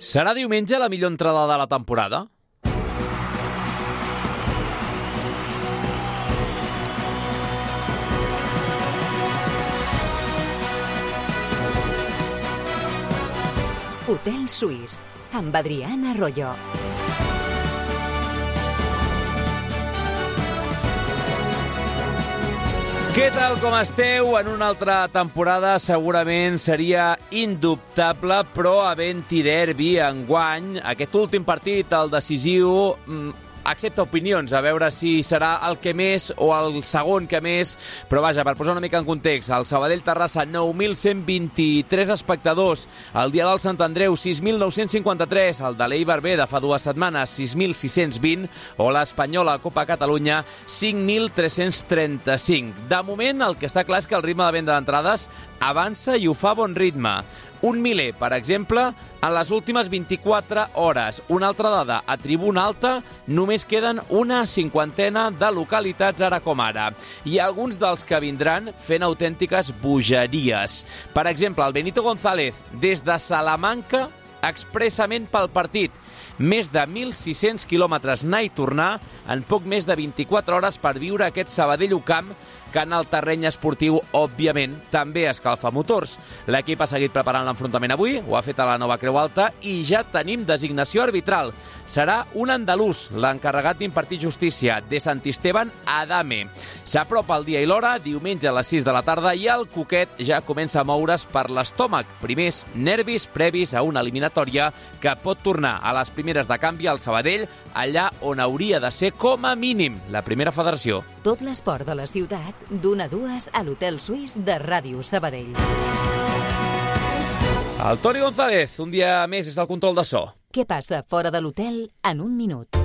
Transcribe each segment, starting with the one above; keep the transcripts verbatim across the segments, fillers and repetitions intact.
Serà diumenge la millor entrada de la temporada? Hotel Suís, amb Adriana Arroyo. Què tal, com esteu? En una altra temporada segurament seria indubtable, però havent-hi derbi enguany, aquest últim partit, el decisiu, accepta opinions, a veure si serà el que més o el segon que més, però vaja, per posar una mica en context, el Sabadell-Terrassa, nou mil cent vint-i-tres espectadors, el dia del Sant Andreu, sis mil nou-cents cinquanta-tres, el de l'Eibar B de fa dues setmanes, sis mil sis-cents vint, o l'Espanyola Copa Catalunya, cinc mil tres-cents trenta-cinc. De moment, el que està clar és que el ritme de venda d'entrades avança i ho fa a bon ritme. Un miler, per exemple, en les últimes vint-i-quatre hores. Una altra dada, a Tribuna Alta només queden una cinquantena de localitats ara com ara. I alguns dels que vindran fent autèntiques bogeries. Per exemple, el Benito González, des de Salamanca, expressament pel partit. Més de mil sis-cents quilòmetres anar i tornar en poc més de vint-i-quatre hores per viure aquest Sabadell-U Camp, que en el terreny esportiu, òbviament, també escalfa motors. L'equip ha seguit preparant l'enfrontament avui, ho ha fet a la Nova Creu Alta i ja tenim designació arbitral. Serà un andalús, l'encarregat d'impartir justícia, de Sant Esteban Adame. S'apropa el dia i l'hora, diumenge a les sis de la tarda, i el coquet ja comença a moure's per l'estómac. Primers nervis previs a una eliminatòria que pot tornar a les primeres de canvi al Sabadell, allà on hauria de ser com a mínim la primera federació. Tot l'esport de la ciutat, d'una a dues a l'Hotel Suís de Ràdio Sabadell. El Toni González, un dia més, és el control de so. Què passa fora de l'hotel en un minut?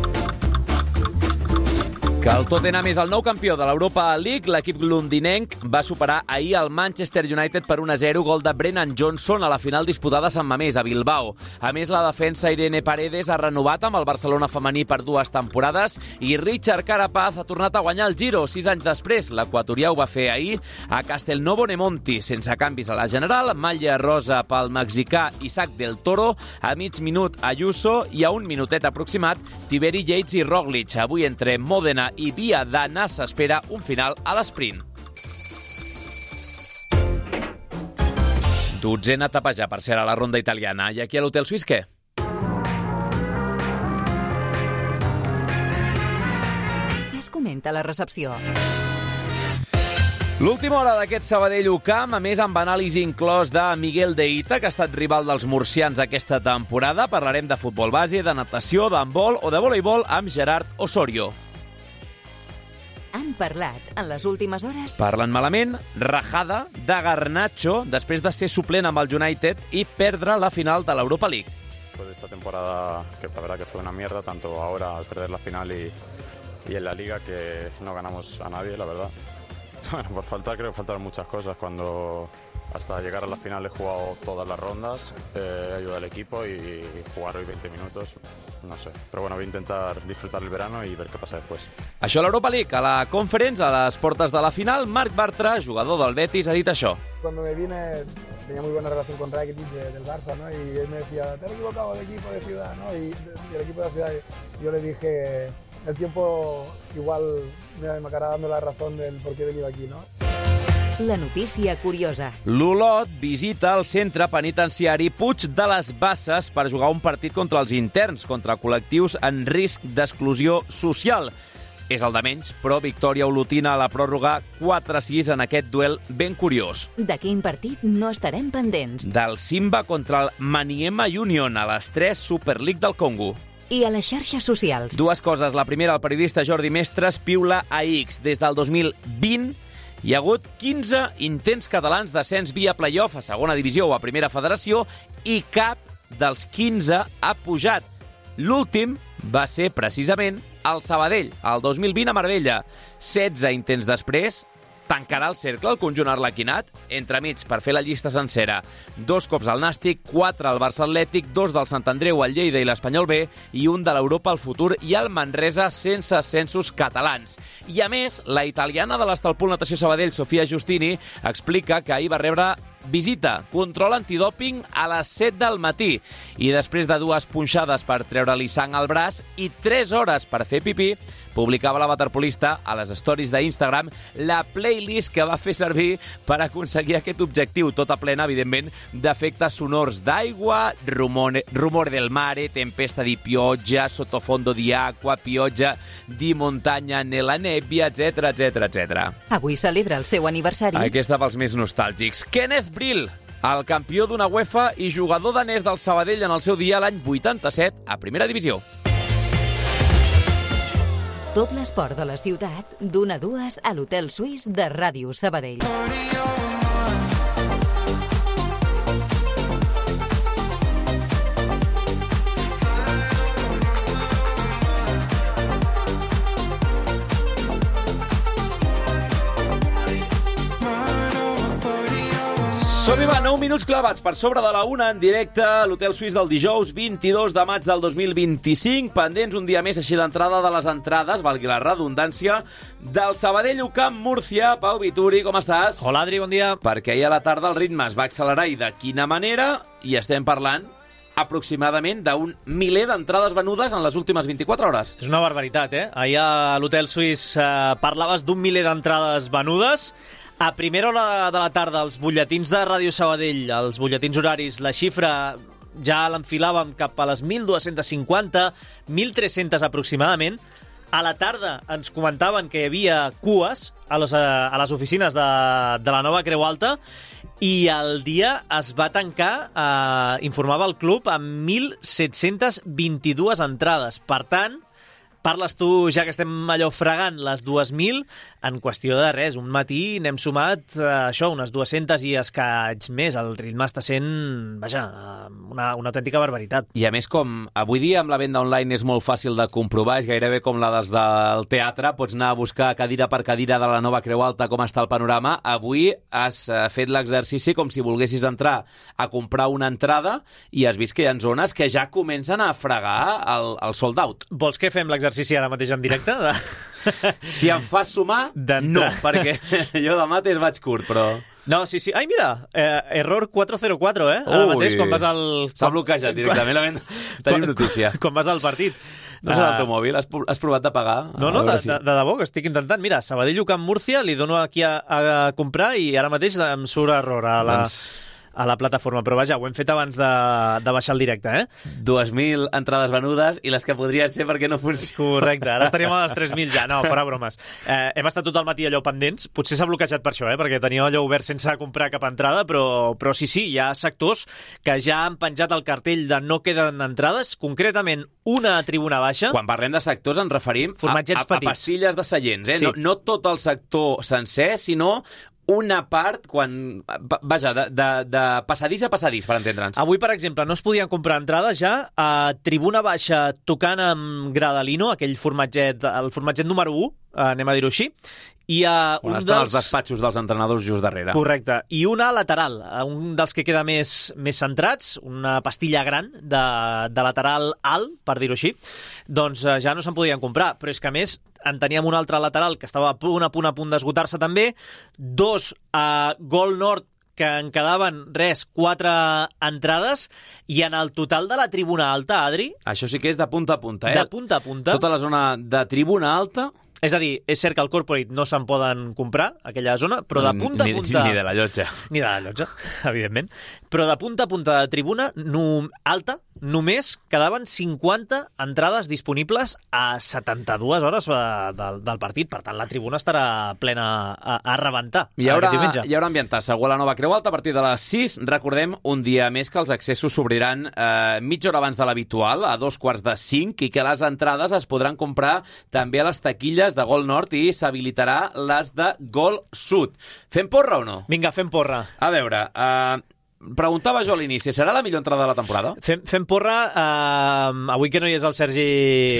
Que el Tottenham és el nou campió de l'Europa League, l'equip londinenc va superar ahir el Manchester United per un a zero, gol de Brennan Johnson a la final disputada a Sant Mamés, a Bilbao. A més, la defensa Irene Paredes ha renovat amb el Barcelona femení per dues temporades i Richard Carapaz ha tornat a guanyar el Giro sis anys després. L'equatorià ho va fer ahir a Castelnuovo Nemonti, sense canvis a la general, malla rosa pel mexicà Isaac del Toro, a mig minut Ayuso i a un minutet aproximat Tiberi, Yates i Roglic. Avui entre Mòdena i Via d'Anna s'espera un final a l'esprint. Dotzena etapa ja per ser a la ronda italiana. I aquí a l'Hotel Suís què? Es comenta a la recepció. L'última hora d'aquest Sabadell-U Camp, a més amb anàlisi inclòs de Miguel de Ita, que ha estat rival dels murcians aquesta temporada. Parlarem de futbol base, de natació, d'handbol o de voleibol amb Gerard Osorio. Han parlat en les últimes hores... Parlen malament, rajada de Garnacho després de ser suplent amb el United i perdre la final de l'Europa League. Después de esta temporada, que la verdad que fue una mierda, tanto ahora al perder la final y, y en la Liga, que no ganamos a nadie, la verdad. Bueno, por faltar, creo que faltaron muchas cosas. Cuando hasta llegar a la final he jugado todas las rondas, eh, he ayudado al equipo y jugar hoy veinte minutos, no sé. Pero bueno, voy a intentar disfrutar el verano y ver qué pasa después. Això a l'Europa League, a la Conference, a les portes de la final, Marc Bartra, jugador del Betis, ha dit això. Cuando me vine tenía muy buena relación con Rakitic de, del Barça, ¿no? Y él me decía, te has equivocado del equipo de ciudad, ¿no? Y, y el equipo de la ciudad, yo le dije, el tiempo igual me, me acabará dando la razón del por qué he venido aquí, ¿no? La notícia curiosa. L'Olot visita el centre penitenciari Puig de les Basses per jugar un partit contra els interns, contra col·lectius en risc d'exclusió social. És el de menys, però victòria olotina a la pròrroga quatre a sis en aquest duel ben curiós. De quin partit no estarem pendents? Del Simba contra el Maniema Union a les tres Super League del Congo. I a les xarxes socials. Dues coses. La primera, el periodista Jordi Mestres piula a X. Des del dos mil vint hi ha hagut quinze intents catalans d'ascens via playoff a segona divisió o a primera federació i cap dels quinze ha pujat. L'últim va ser precisament el Sabadell, el dos mil vint a Marbella. setze intents després, tancarà el cercle el conjunt arlequinat, entremig per fer la llista sencera. Dos cops al Nàstic, quatre al Barça Atlètic, dos del Sant Andreu, el Lleida i l'Espanyol B i un de l'Europa al Futur i el Manresa sense ascensos catalans. I a més, la italiana de l'Estalpol Natació Sabadell, Sofia Giustini, explica que ahir va rebre visita control antidòping a les set del matí i després de dues punxades per treure-li sang al braç i tres hores per fer pipí, publicava la waterpolista a les stories d'Instagram la playlist que va fer servir per aconseguir aquest objectiu, tota plena, evidentment, d'efectes sonors d'aigua, rumore, rumore del mare, tempesta di pioggia, sottofondo di acqua, pioggia di montagna nella nebbia, etcètera, etcètera, etcètera. Avui celebra el seu aniversari. Aquesta pels més nostàlgics. Kenneth Brill, el campió d'una UEFA i jugador danès del Sabadell en el seu dia l'any vuitanta-set a Primera Divisió. Tot l'esport de la ciutat, d'una a dues a l'Hotel Suís de Ràdio Sabadell. Som-hi, va, nou minuts clavats per sobre de la una en directe a l'Hotel Suís del dijous vint-i-dos de maig del dos mil vint-i-cinc. Pendents un dia més així d'entrada de les entrades, valgui la redundància, del Sabadell U Camp Múrcia. Pau Vituri, com estàs? Hola, Adri, bon dia. Perquè ahir a la tarda el ritme es va accelerar i de quina manera, i estem parlant aproximadament d'un miler d'entrades venudes en les últimes vint-i-quatre hores. És una barbaritat, eh? Ahir a l'Hotel Suís eh, parlaves d'un miler d'entrades venudes. A primera hora de la tarda, els butlletins de Ràdio Sabadell, els butlletins horaris, la xifra ja l'enfilàvem cap a les mil dos-cents cinquanta, mil tres-cents aproximadament. A la tarda ens comentaven que hi havia cues a les, a les oficines de, de la nova Creu Alta i el dia es va tancar, eh, informava el club, amb mil set-cents vint-i-dues entrades. Per tant, parles tu, ja que estem allò fregant, les dues mil, en qüestió de res. Un matí n'hem sumat, eh, això, unes dues-centes i escaig més. El ritme està sent, vaja, una, una autèntica barbaritat. I a més, com avui dia amb la venda online és molt fàcil de comprovar, és gairebé com la des del teatre, pots anar a buscar cadira per cadira de la nova Creu Alta com està el panorama. Avui has fet l'exercici com si volguessis entrar a comprar una entrada i has vist que hi ha zones que ja comencen a fregar el, el sold out. Vols que fem l'exercici ara mateix en directe? De... Si em fas sumar, no, perquè jo de mates vaig curt, però... No, sí, sí. Ai, mira, eh, error quatre cero quatre, eh? Ara mateix, quan vas al... S'ha bloquejat directament, quan... tenim notícia. Quan vas al partit. No és el teu mòbil? Has, has provat de pagar? No, no, de, si... de, de debò, que estic intentant. Mira, Sabadell U Camp Múrcia, li dono aquí a, a comprar i ara mateix em surt error a la... Doncs... a la plataforma, però vaja, ho hem fet abans de, de baixar el directe, eh? dues mil entrades venudes i les que podrien ser perquè no funciona. Correcte, ara estaríem a les tres mil ja, no, fora bromes. Eh, hem estat tot el matí allò pendents, potser s'ha bloquejat per això, eh? Perquè tenia allò obert sense comprar cap entrada, però, però sí, sí, hi ha sectors que ja han penjat el cartell de no queden entrades, concretament una tribuna baixa. Quan parlem de sectors ens referim a, a, a passilles de seients, eh? Sí. No, no tot el sector sencer, sinó una part, quan vaja, de, de, de passadís a passadís, per entendre'ns. Avui, per exemple, no es podien comprar entrades ja a tribuna baixa tocant amb Gradalino, aquell formatget, el formatget número u, anem a dir-ho així, i a on un estan dels... els despatxos dels entrenadors just darrere. Correcte. I una lateral, un dels que queda més, més centrats, una pastilla gran de, de lateral alt, per dir-ho així, doncs ja no se'n podien comprar. Però és que, a més, en teníem un altre lateral que estava a punt, a punt, a punt d'esgotar-se també, dos a Gol Nord, que en quedaven, res, quatre entrades, i en el total de la tribuna alta, Adri... Això sí que és de punta a punta, eh? De punta a punta. Tota la zona de tribuna alta... És a dir, és cert que el corporate no se'n poden comprar, aquella zona, però de punta a punta... Ni, ni de la llotja. Ni de la llotja, evidentment. Però de punta a punta de tribuna no, alta, només quedaven cinquanta entrades disponibles a setanta-dues hores del, del partit. Per tant, la tribuna estarà plena a, a rebentar. Hi haurà, hi haurà ambientat segur a la nova Creu Alta a partir de les sis. Recordem un dia més que els accessos s'obriran eh, mitja hora abans de l'habitual, a dos quarts de cinc, i que les entrades es podran comprar també a les taquilles de Gol Nord i s'habilitarà les de Gol Sud. Fem porra o no? Vinga, fem porra. A veure, eh, preguntava jo a l'inici, serà la millor entrada de la temporada? Fem, fem porra, eh, avui que no hi és el Sergi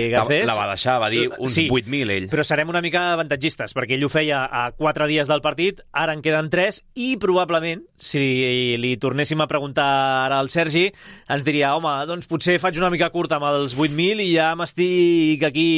Garcés... La, la va deixar, va dir uns sí, vuit mil ell. Però serem una mica avantatgistes, perquè ell ho feia a quatre dies del partit, ara en queden tres, i probablement, si li tornéssim a preguntar ara al Sergi, ens diria, home, doncs potser faig una mica curta amb els vuit mil i ja m'estic aquí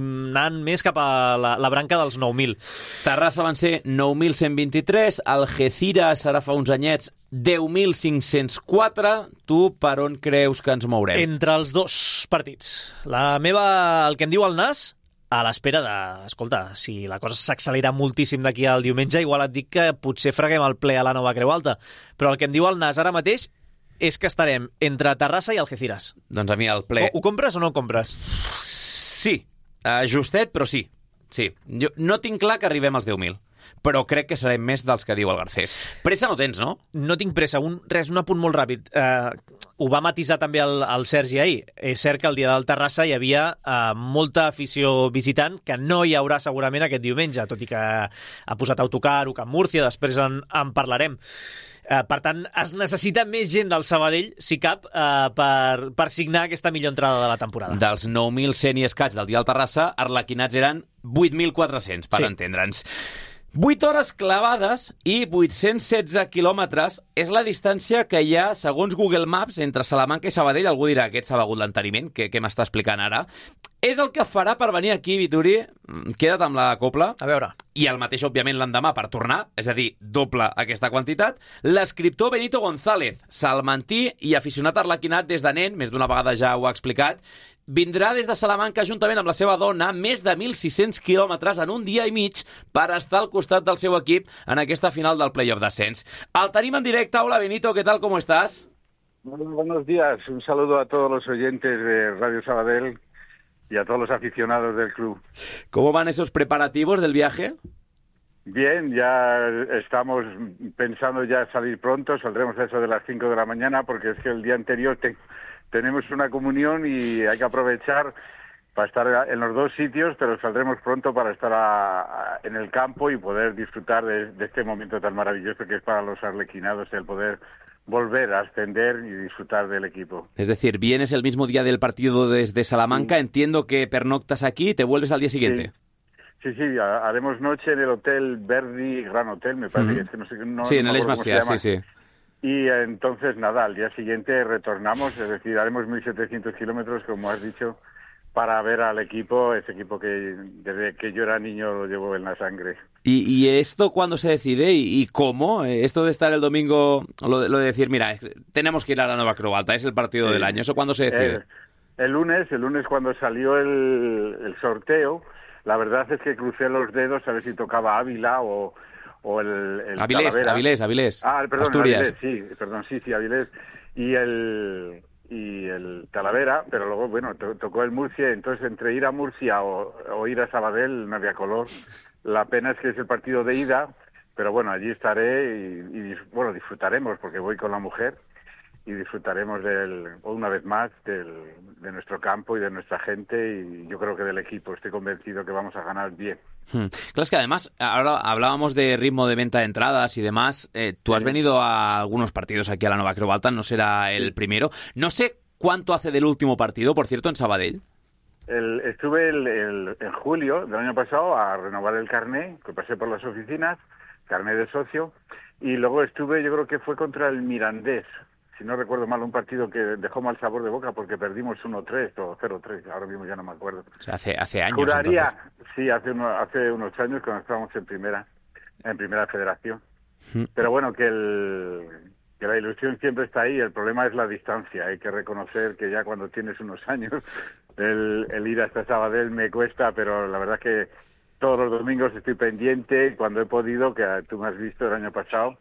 anant més cap a la, la branca dels nou mil. Terrassa van ser nou mil cent vint-i-tres, Algeciras serà fa uns anyets deu mil cinc-cents quatre. Tu per on creus que ens mourem? Entre els dos partits. La meva, el que em diu el Nas, a l'espera de... Escolta, si la cosa s'accelera moltíssim d'aquí al diumenge, igual et dic que potser freguem el ple a la nova Creu Alta. Però el que em diu el Nas ara mateix és que estarem entre Terrassa i Algeciras. Doncs a mi el ple... Ho, ho compres o no ho compres? Sí. Uh, justet, però sí. Sí. Jo no tinc clar que arribem als deu mil, però crec que serem més dels que diu el Garcés. Pressa no tens, no? No tinc pressa. Un, res, un apunt molt ràpid. Uh, ho va matisar també el, el Sergi ahir. És cert que el dia del Terrassa hi havia uh, molta afició visitant, que no hi haurà segurament aquest diumenge, tot i que ha posat autocar o Camp Múrcia, després en, en parlarem. Uh, per tant, es necessita més gent del Sabadell, si cap, uh, per, per signar aquesta millor entrada de la temporada. Dels nou mil cent i escaig del dia al Terrassa, arlequinats eren vuit mil quatre-cents, per sí. entendre'ns. vuit hores clavades i vuit-cents setze quilòmetres és la distància que hi ha, segons Google Maps, entre Salamanca i Sabadell. Algú dirà, aquest s'ha begut l'enteniment, que, que m'està explicant ara. És el que farà per venir aquí, Vituri. Queda't amb la copla. A veure. I el mateix, òbviament, l'endemà per tornar, és a dir, doble aquesta quantitat. L'escriptor Benito González, salmantí i aficionat arlequinat des de nen, més d'una vegada ja ho ha explicat, vindrà des de Salamanca juntament amb la seva dona més de mil sis-cents quilòmetres en un dia i mig per estar al costat del seu equip en aquesta final del Playoff d'Ascens. El tenim en directe. Hola, Benito, ¿qué tal? ¿Cómo estás? Muy buenos días. Un saludo a todos los oyentes de Radio Sabadell y a todos los aficionados del club. ¿Cómo van esos preparativos del viaje? Bien, ya estamos pensando ya salir pronto. Saldremos a eso de las cinco de la mañana porque es que el día anterior te... tenemos una comunión y hay que aprovechar para estar en los dos sitios, pero saldremos pronto para estar a, a, en el campo y poder disfrutar de, de este momento tan maravilloso que es para los arlequinados el poder volver a ascender y disfrutar del equipo. Es decir, vienes el mismo día del partido desde Salamanca, sí. Entiendo que pernoctas aquí y te vuelves al día siguiente. Sí, sí, sí, haremos noche en el Hotel Verdi, Gran Hotel, me parece, uh-huh. que es que no sé... No, sí, no en el Esmasía, sí, sí. Y entonces, nada, al día siguiente retornamos, es decir, haremos mil setecientos kilómetros, como has dicho, para ver al equipo, ese equipo que desde que yo era niño lo llevo en la sangre. ¿Y, y esto cuándo se decide y, y cómo? Esto de estar el domingo, lo, lo de decir, mira, tenemos que ir a la Nova Creu Alta, es el partido sí. del año, ¿eso cuándo se decide? El, el lunes, el lunes cuando salió el, el sorteo, la verdad es que crucé los dedos a ver si tocaba Ávila o... o el, el Avilés, Talavera. Avilés, Avilés. Ah, perdón, Asturias. Avilés, sí, perdón, sí, sí, Avilés. Y el y el Talavera, pero luego, bueno, to, tocó el Murcia, entonces entre ir a Murcia o, o ir a Sabadell no había color. La pena es que es el partido de ida, pero bueno, allí estaré y, y bueno, disfrutaremos porque voy con la mujer y disfrutaremos del, una vez más del, de nuestro campo y de nuestra gente y yo creo que del equipo. Estoy convencido que vamos a ganar bien. Hmm. Claro, es que además, ahora hablábamos de ritmo de venta de entradas y demás. Eh, tú has sí. venido a algunos partidos aquí a la Nova Creu Alta, no será el sí. primero. No sé cuánto hace del último partido, por cierto, en Sabadell. El, estuve el, el, en julio del año pasado a renovar el carné, que pasé por las oficinas, carné de socio, y luego estuve, yo creo que fue contra el Mirandés, si no recuerdo mal, un partido que dejó mal sabor de boca porque perdimos uno tres o cero tres, ahora mismo ya no me acuerdo. O sea, hace, hace años. Juraría, entonces. sí, hace, uno, hace unos años cuando estábamos en primera, en primera federación. Mm. Pero bueno, que, el, que la ilusión siempre está ahí, el problema es la distancia. Hay que reconocer que ya cuando tienes unos años, el, el ir hasta Sabadell me cuesta, pero la verdad es que todos los domingos estoy pendiente, cuando he podido, que tú me has visto el año pasado,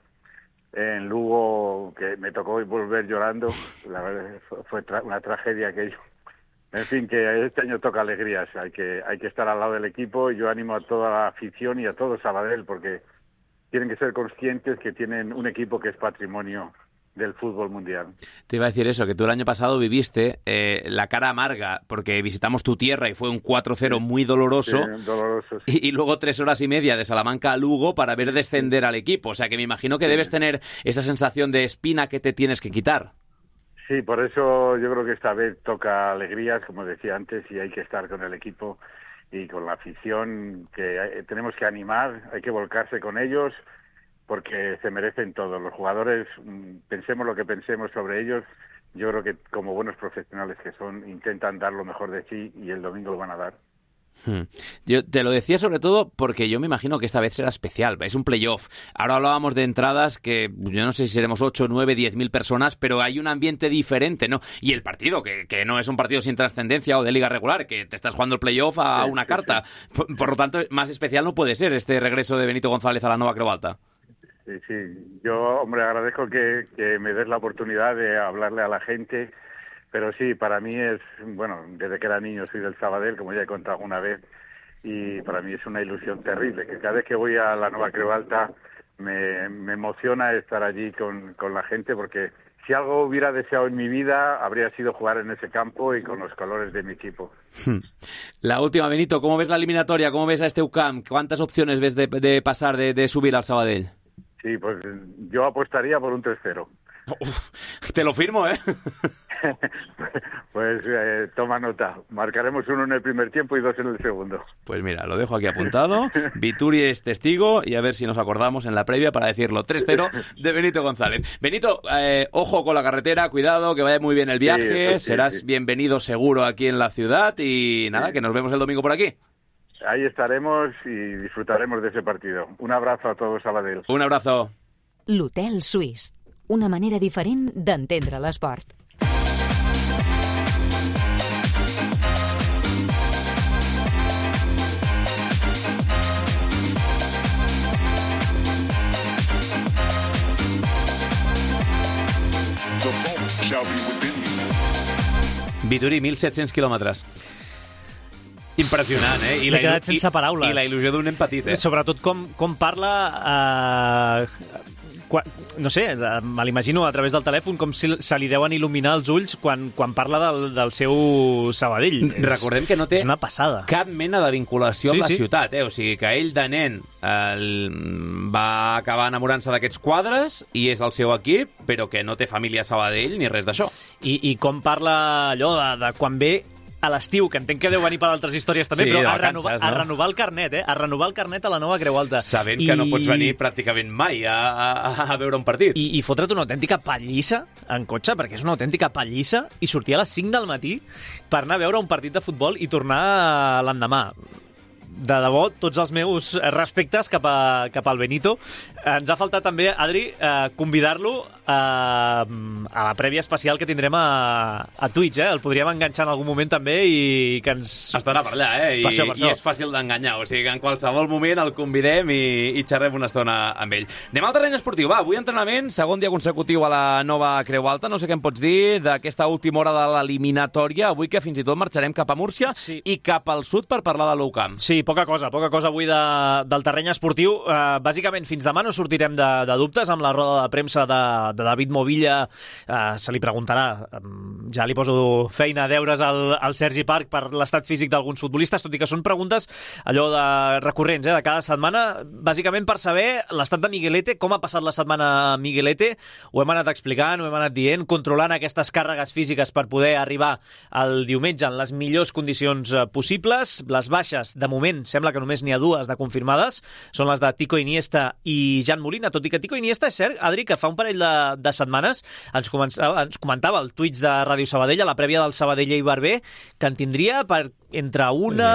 en Lugo, que me tocó volver llorando, la verdad fue tra- una tragedia aquello. En fin, que este año toca alegrías, hay que hay que estar al lado del equipo y yo animo a toda la afición y a todo Sabadell porque tienen que ser conscientes que tienen un equipo que es patrimonio del fútbol mundial. Te iba a decir eso, que tú el año pasado viviste eh, la cara amarga porque visitamos tu tierra y fue un cuatro cero muy doloroso, sí, doloroso sí. y, y luego tres horas y media de Salamanca a Lugo para ver descender sí. al equipo, o sea que me imagino que sí. debes tener esa sensación de espina que te tienes que quitar. Sí, por eso yo creo que esta vez toca alegrías, como decía antes, y hay que estar con el equipo y con la afición, que hay, tenemos que animar, hay que volcarse con ellos, porque se merecen todo. Los jugadores, pensemos lo que pensemos sobre ellos, yo creo que como buenos profesionales que son, intentan dar lo mejor de sí y el domingo lo van a dar. Hmm. Yo te lo decía sobre todo porque yo me imagino que esta vez será especial, es un playoff. Ahora hablábamos de entradas que yo no sé si seremos ocho, nueve, diez mil personas, pero hay un ambiente diferente, ¿no? Y el partido, que, que no es un partido sin trascendencia o de liga regular, que te estás jugando el playoff a una carta. Por, por lo tanto, más especial no puede ser este regreso de Benito González a la Nova Creu Alta. Sí, sí. Yo, hombre, agradezco que, que me des la oportunidad de hablarle a la gente. Pero sí, para mí es, bueno, desde que era niño soy del Sabadell, como ya he contado una vez, y para mí es una ilusión terrible, que cada vez que voy a la Nova Creu Alta me, me emociona estar allí con, con la gente, porque si algo hubiera deseado en mi vida, habría sido jugar en ese campo y con los colores de mi equipo. La última, Benito, ¿cómo ves la eliminatoria? ¿Cómo ves a este U C A M? ¿Cuántas opciones ves de, de pasar, de, de subir al Sabadell? Sí, pues yo apostaría por un tres cero. Uf, te lo firmo, ¿eh? Pues eh, toma nota. Marcaremos uno en el primer tiempo y dos en el segundo. Pues mira, lo dejo aquí apuntado. Vituri es testigo y a ver si nos acordamos en la previa para decirlo. tres cero de Benito González. Benito, eh, ojo con la carretera, cuidado, que vaya muy bien el viaje. Sí, sí, Serás sí. bienvenido seguro aquí en la ciudad y nada, sí. que nos vemos el domingo por aquí. Ahí estaremos y disfrutaremos de ese partido. Un abrazo a todos, Sabadell. Un abrazo. L'Hotel Suís. Una manera diferent d'entendre l'esport. Vituri, mil set-cents quilòmetres. Impressionant, eh? I M'he quedat sense paraules. I la il·lusió d'un nen petit, eh? Sobretot com, com parla... Eh, quan, no sé, me l'imagino a través del telèfon com si se li deuen il·luminar els ulls quan, quan parla del, del seu Sabadell. Recordem que no té és una passada. Cap mena de vinculació sí, amb la sí. ciutat, eh? O sigui que ell de nen eh, va acabar enamorant-se d'aquests quadres i és el seu equip, però que no té família a Sabadell ni res d'això. I, I com parla allò de, de quan ve a l'estiu, que entenc que deu venir per altres històries també, sí, però a, vacances, renovar, no? a renovar el carnet, eh? A renovar el carnet a la Nova Creu Alta. Sabent I... que no pots venir pràcticament mai a, a, a veure un partit. I, i fotre't una autèntica pallissa en cotxe, perquè és una autèntica pallissa, i sortir a les cinc del matí per anar a veure un partit de futbol i tornar l'endemà. De debò, tots els meus respectes cap, a, cap al Benito. Ens ha faltat també, Adri, eh, convidar-lo a, a la prèvia especial que tindrem a, a Twitch, eh? El podríem enganxar en algun moment també i que ens... Estarà per allà, eh? I, per això, per això. I és fàcil d'enganyar, o sigui que en qualsevol moment el convidem i, i xerrem una estona amb ell. Anem al terreny esportiu, va, avui entrenament, segon dia consecutiu a la Nova Creu Alta, no sé què em pots dir d'aquesta última hora de l'eliminatòria, avui que fins i tot marxarem cap a Múrcia sí. i cap al sud per parlar de l'U C A M. Sí, poca cosa, poca cosa avui de, del terreny esportiu. Uh, bàsicament, fins demà no sortirem de, de dubtes amb la roda de premsa de, de David Movilla. Uh, se li preguntarà, um, ja li poso feina, deures al, al Sergi Parc per l'estat físic d'alguns futbolistes, tot i que són preguntes allò de recurrents, eh, de cada setmana, bàsicament per saber l'estat de Miguelete, com ha passat la setmana Miguelete. Ho hem anat explicant, ho hem anat dient, controlant aquestes càrregues físiques per poder arribar al diumenge en les millors condicions possibles. Les baixes, de moment, sembla que només n'hi ha dues de confirmades, són les de Tico Iniesta i Jan Molina, tot i que Tico Iniesta, és cert, Adri, que fa un parell de, de setmanes ens, començava, ens comentava el Twitch de Ràdio Sabadell, a la prèvia del Sabadell i Barber, que en tindria per entre una...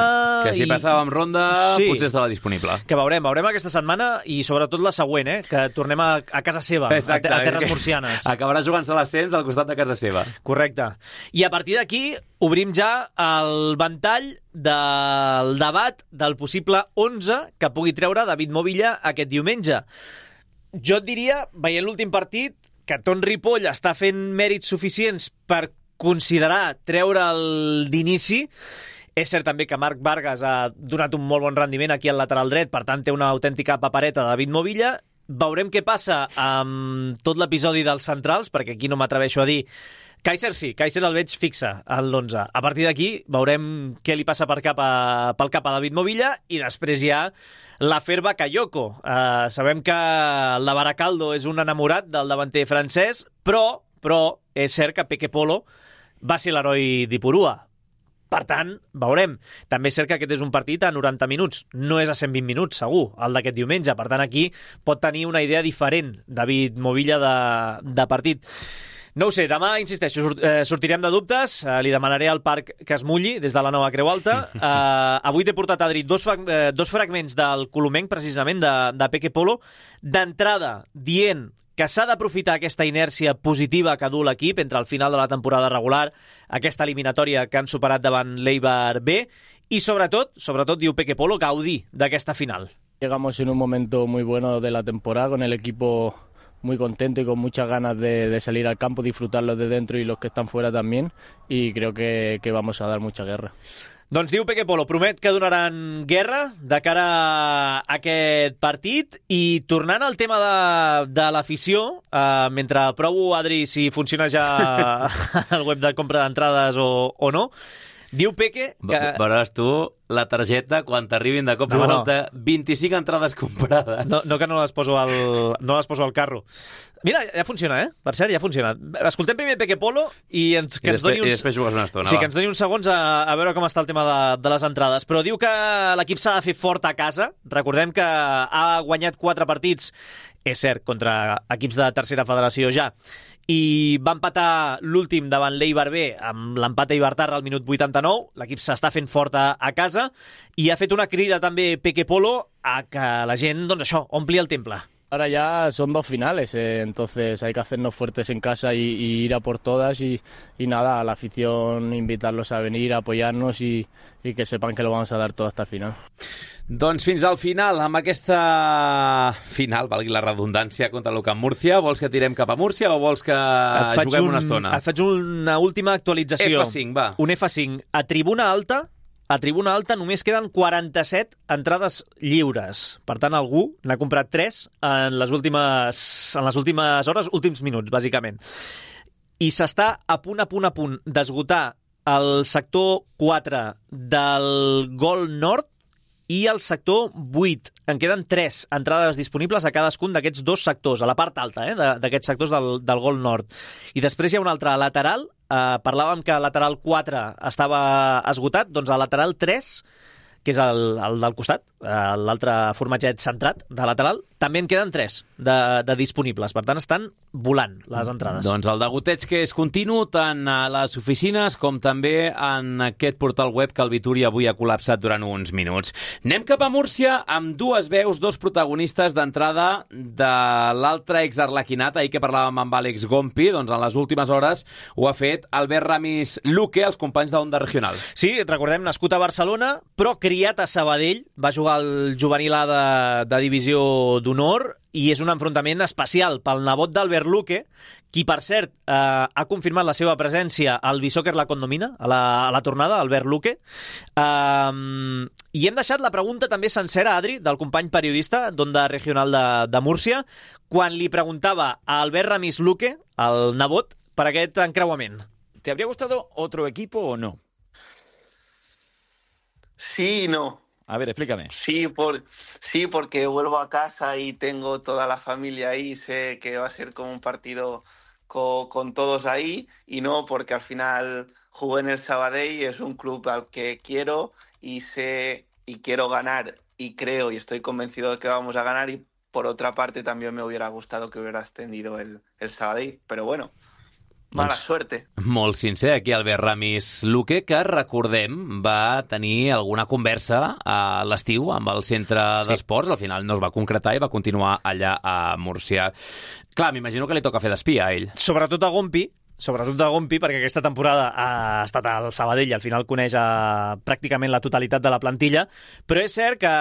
Que si i... passàvem ronda, sí, potser estava disponible. Que veurem, veurem aquesta setmana i sobretot la següent, eh? Que tornem a, a casa seva, Exacte, a, a terres murcianes. Acabarà jugant-se l'ascens al costat de casa seva. Correcte. I a partir d'aquí obrim ja el ventall del debat del possible onze que pugui treure David Movilla aquest diumenge. Jo et diria, veient l'últim partit, que Ton Ripoll està fent mèrits suficients per considerar treure'l d'inici. És cert també que Marc Vargas ha donat un molt bon rendiment aquí al lateral dret, per tant té una autèntica papereta de David Movilla. Veurem què passa amb tot l'episodi dels centrals, perquè aquí no m'atreveixo a dir... Kaiser sí, Kaiser el veig fixe en l'onze. A partir d'aquí veurem què li passa per cap a, pel cap a David Movilla i després hi ha l'afer Bakayoko. Uh, sabem que el de Baracaldo és un enamorat del davanter francès, però, però és cert que Peque Polo va ser l'heroi d'Ipurua. Per tant, veurem. També és cert que aquest és un partit a noranta minuts. No és a cent vint minuts, segur, el d'aquest diumenge. Per tant, aquí pot tenir una idea diferent David Movilla de, de partit. No ho sé, demà, insisteixo, sort, eh, sortirem de dubtes, eh, li demanaré al Parc que es mulli des de la nova Creu Alta. Eh, avui t'he portat, Adri, dos, eh, dos fragments del colomenc, precisament, de, de Peque Polo, d'entrada dient que s'ha d'aprofitar aquesta inèrcia positiva que du l'equip entre el final de la temporada regular, aquesta eliminatòria que han superat davant l'Eibar B, i sobretot, sobretot diu Peque Polo, gaudir d'aquesta final. Llegamos en un momento muy bueno de la temporada, con el equipo muy contento y con muchas ganas de, de salir al campo, disfrutarlo de dentro y los que están fuera también, y creo que, que vamos a dar mucha guerra. Doncs diu Peque Polo, promet que donaran guerra de cara a aquest partit. I tornant al tema de, de l'afició, eh, mentre provo, Adri, si funciona ja el web de compra d'entrades o, o no, diu Peque que... Veuràs tu la targeta quan t'arribin de cop i no, volta no. vint-i-cinc entrades comprades. No, no que no les poso al, no les poso al carro. Mira, ja funciona, eh? Per cert, ja funciona. Escoltem primer Peque Polo i ens, que I, ens després, doni uns... i després jugues una estona. Sí, va. que ens doni uns segons a, a veure com està el tema de, de les entrades. Però diu que l'equip s'ha de fer fort a casa. Recordem que ha guanyat quatre partits, és cert, contra equips de tercera federació ja, i va empatar l'últim davant l'Eibar B amb l'empat a Ibartarra al minut vuitanta-nou. L'equip s'està fent fort a, a casa i ha fet una crida també Peque Polo a que la gent, doncs això, ompli el temple. Ahora ya son dos finales, eh, entonces hay que hacernos fuertes en casa y, y ir a por todas y, y nada, a la afición invitarlos a venir, a apoyarnos y, y que sepan que lo vamos a dar todo hasta el final. Doncs fins al final, amb aquesta final, valgui la redundància, contra l'U C A M Múrcia. Vols que tirem cap a Múrcia o vols que juguem un, una estona? Et faig una última actualització. F cinc, va. Un F cinc. A tribuna alta, a tribuna alta només queden quaranta-set entrades lliures. Per tant, algú n'ha comprat tres en les últimes, en les últimes hores, últims minuts, bàsicament. I s'està a punt, a punt, a punt d'esgotar el sector quatre del Gol Nord i el sector vuit. En queden tres entrades disponibles a cadascun d'aquests dos sectors, a la part alta, eh, d'aquests sectors del, del Gol Nord. I després hi ha un altre lateral. Eh, parlàvem que lateral quatre estava esgotat, doncs a lateral tres, que és el, el del costat, eh, l'altre formatget centrat de lateral, també en queden tres de, de disponibles. Per tant, estan volant les entrades. Doncs el degoteig que és continu tant a les oficines com també en aquest portal web que el Vituri avui ha col·lapsat durant uns minuts. Anem cap a Múrcia amb dues veus, dos protagonistes d'entrada de l'altre exarlequinat. Ahir que parlàvem amb Àlex Gompi, doncs en les últimes hores ho ha fet Albert Ramis Luque, els companys d'Onda Regional. Sí, recordem, nascut a Barcelona, però criat a Sabadell, va jugar al juvenil A de, de divisió d'honor i és un enfrontament especial pel nebot d'Albert Luque, qui, per cert, eh, ha confirmat la seva presència al Bisòquer La Condomina, a la, a la tornada, Albert Luque. Eh, I hem deixat la pregunta també sencera, Adri, del company periodista d'Onda Regional de, de Múrcia, quan li preguntava a Albert Ramis Luque, el nebot, per aquest encreuament. ¿Te habría gustado otro equipo o no? Sí y no. A ver, explícame. Sí, por, sí, porque vuelvo a casa y tengo toda la familia ahí, sé que va a ser como un partido con, con todos ahí, y no porque al final jugué en el Sabadell y es un club al que quiero y sé y quiero ganar y creo y estoy convencido de que vamos a ganar, y por otra parte también me hubiera gustado que hubiera ascendido el, el Sabadell, pero bueno, mala doncs, suerte. Molt sincer, aquí Albert Ramis Luque, que recordem va tenir alguna conversa a l'estiu amb el centre sí. d'esports. Al final no es va concretar i va continuar allà a Múrcia. Clar, m'imagino que li toca fer d'espia a ell. Sobretot a Gompi, sobretot de Gompi, perquè aquesta temporada ha estat al Sabadell i al final coneix a, pràcticament la totalitat de la plantilla, però és cert que,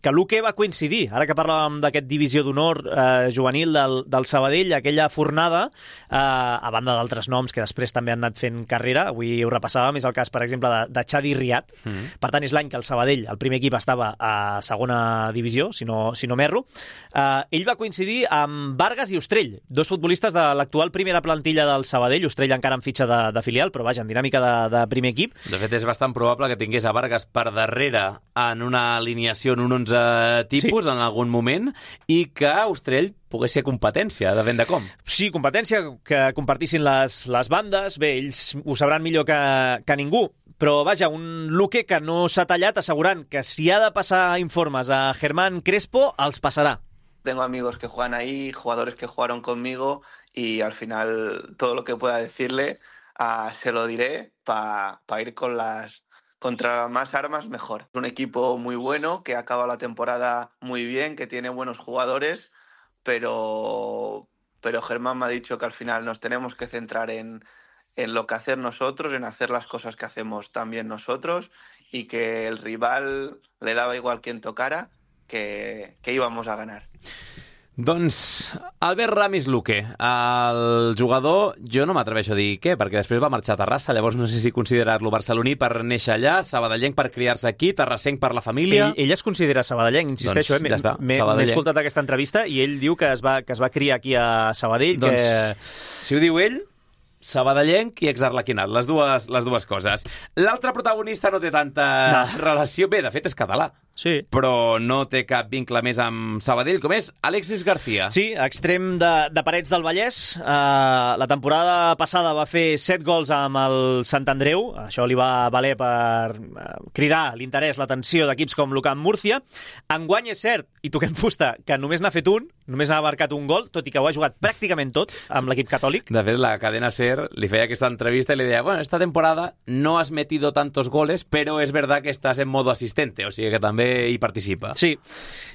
que Luque va coincidir, ara que parlàvem d'aquest divisió d'honor eh, juvenil del, del Sabadell, aquella fornada, eh, a banda d'altres noms que després també han anat fent carrera, avui ho repassàvem, és el cas, per exemple, de, de Xadi Riat, mm-hmm. Per tant és l'any que el Sabadell, el primer equip, estava a segona divisió, si no, si no m'erro. Eh, ell va coincidir amb Vargas i Ostrell, dos futbolistes de l'actual primera plantilla del Sabadell, Ostrell encara en fitxa de, de filial, però vaja, en dinàmica de, de primer equip. De fet, és bastant probable que tingués a Vargas per darrere en una alineació en un onze tipus, sí. En algun moment, i que Ostrell pogués ser competència, de vent de com. Sí, competència, que compartissin les, les bandes. Bé, ells ho sabran millor que, que ningú, però vaja, un Luque que no s'ha tallat assegurant que si ha de passar informes a Germán Crespo, els passarà. Tengo amigos que juegan ahí, jugadores que jugaron conmigo y al final todo lo que pueda decirle uh, se lo diré para pa ir con las contra más armas mejor. Es un equipo muy bueno que acaba la temporada muy bien, que tiene buenos jugadores, pero, pero Germán me ha dicho que al final nos tenemos que centrar en, en lo que hacer nosotros, en hacer las cosas que hacemos también nosotros, y que el rival le daba igual quién tocara, que, que íbamos a ganar. Doncs Albert Ramis Luque, el jugador, jo no m'atreveixo a dir què, perquè després va marxar a Terrassa, llavors no sé si considerar-lo barceloní per néixer allà, sabadellenc per criar-se aquí, terrassenc per la família... Ell, ell es considera sabadellenc, insisteixo, doncs, eh? Ja M'he escoltat aquesta entrevista i ell diu que es va, que es va criar aquí a Sabadell. Doncs, que... si ho diu ell, sabadellenc i exarlequinat, les dues, les dues coses. L'altre protagonista no té tanta no. relació... Bé, de fet, és català. Sí. Però no té cap vincle més amb Sabadell, com és Alexis García. Sí, extrem de, de Parets del Vallès. Uh, la temporada passada va fer set gols amb el Sant Andreu. Això li va valer per uh, cridar l'interès, l'atenció d'equips com l'U C A M Múrcia. Enguany és cert, i toquem fusta, que només n'ha fet un, només n'ha marcat un gol, tot i que ho ha jugat pràcticament tot amb l'equip catòlic. De fet, la cadena SER li feia aquesta entrevista i li deia, bueno, esta temporada no has metido tantos goles, pero es verdad que estás en modo asistente, o sigui que també hi participa. Sí.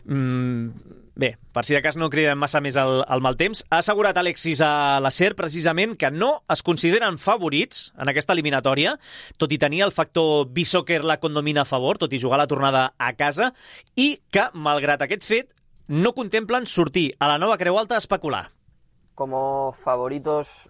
Mm, bé, per si de cas no cridem massa més el, el mal temps. Ha assegurat Alexis a la SER precisament que no es consideren favorits en aquesta eliminatòria, tot i tenir el factor B-Soccer la condomina a favor, tot i jugar la tornada a casa, i que, malgrat aquest fet, no contemplen sortir a la Nova Creu Alta a especular. Como favoritos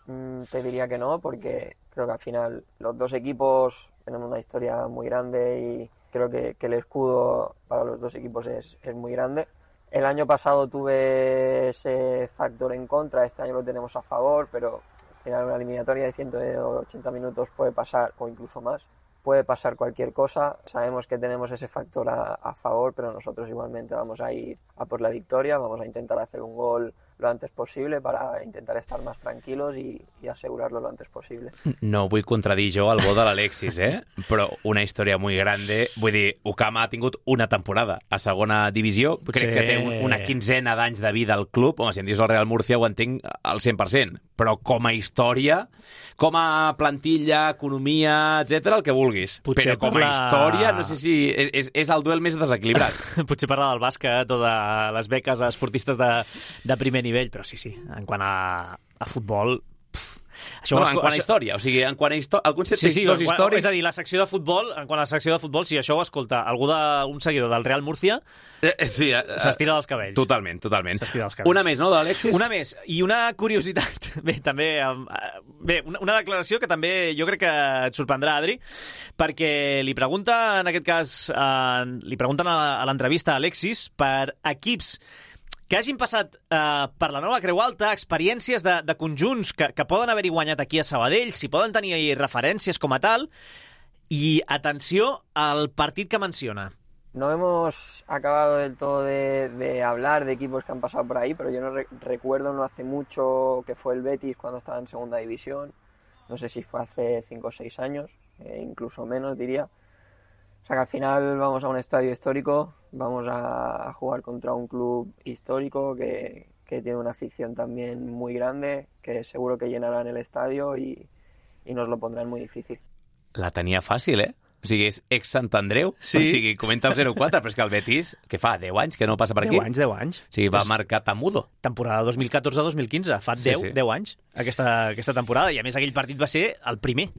te diría que no, porque creo que al final los dos equipos tenemos una historia muy grande y creo que, que el escudo para los dos equipos es, es muy grande. El año pasado tuve ese factor en contra, este año lo tenemos a favor, pero al final una eliminatoria de ciento ochenta minutos puede pasar, o incluso más, puede pasar cualquier cosa. Sabemos que tenemos ese factor a, a favor, pero nosotros igualmente vamos a ir a por la victoria, vamos a intentar hacer un gol lo antes posible para intentar estar más tranquilos i, i asegurarlo lo antes posible. No vull contradir jo el gol de l'Alexis, eh? Però una història molt grande. Vull dir, U C A M ha tingut una temporada a segona divisió. Crec sí. que té un, una quinzena d'anys de vida al club. Home, si em dius el Real Murcia ho entenc al cent per cent. Però com a història, com a plantilla, economia, etcètera, el que vulguis. Potser Però com parla... a història, no sé si és, és el duel més desequilibrat. Potser parlar del bàsquet o de les beques a esportistes de, de primer nivell, però sí, sí, en quant a, a futbol... Pff, això no, en quant a història, o sigui, en quant a història... Algun set sí, sí, dos històries... És a dir, la secció de futbol, en quant a la secció de futbol, si això ho escolta algú de, un seguidor del Real Murcia, eh, sí, eh, s'estira dels cabells. Totalment, totalment. S'estira dels cabells. Una més, no, d'Alexis? Una més, i una curiositat, bé, també... Bé, una, una declaració que també jo crec que et sorprendrà, Adri, perquè li pregunta, en aquest cas, eh, li pregunten a, a l'entrevista a Alexis per equips que hagin passat eh, per la Nova Creu Alta, experiències de, de conjunts que, que poden haver-hi guanyat aquí a Sabadell, si poden tenir referències com a tal, i atenció al partit que menciona. No hemos acabado del todo de, de hablar de equipos que han pasado por ahí, pero yo no re- recuerdo no hace mucho que fue el Betis cuando estaba en segunda división, no sé si fue hace cinco o seis años, eh, incluso menos diría. O sea que al final vamos a un estadio histórico, vamos a jugar contra un club histórico que, que tiene una afición también muy grande, que seguro que llenarán el estadio y, y nos lo pondrán muy difícil. La tenia fàcil, eh? O sigui, és ex-Sant Andreu, sí. O sigui, comenta el zero quatre, però és que el Betis, que fa deu anys que no passa per aquí. deu anys, deu anys. O sigui, va és... marcar Tamudo. Temporada dos mil catorze dos mil quinze, fa deu, sí, sí. deu anys, aquesta, aquesta temporada, i a més aquell partit va ser el primer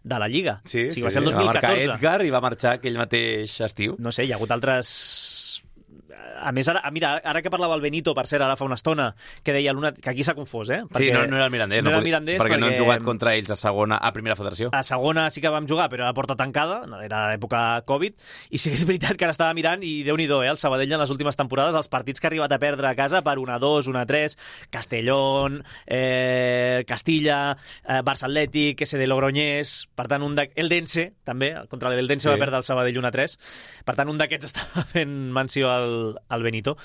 de la Lliga. Sí, o sigui, sí, va ser el dos mil catorze. Va marcar Edgar i va marxar aquell mateix estiu. No sé, hi ha hagut altres... A més, ara, mira, ara que parlava el Benito, per cert, ara fa una estona, que deia l'una... que aquí s'ha confós, eh? Perquè sí, no, no era el Mirandés. No, no era el Mirandés perquè, perquè no hem jugat contra ells a segona, a primera federació. A segona sí que vam jugar, però era a porta tancada, era època Covid, i sí que és veritat que ara estava mirant, i Déu-n'hi-do, eh? El Sabadell en les últimes temporades, els partits que ha arribat a perdre a casa per un a dos, un a tres, Castellón, eh, Castilla, eh, Barça Atlètic, S D Logroñés, per tant, un de... Eldense, també, contra l'Eldense sí. Va perdre el Sabadell un a tres, per tant, un d'aquests estava fent menció al, el, el Benito.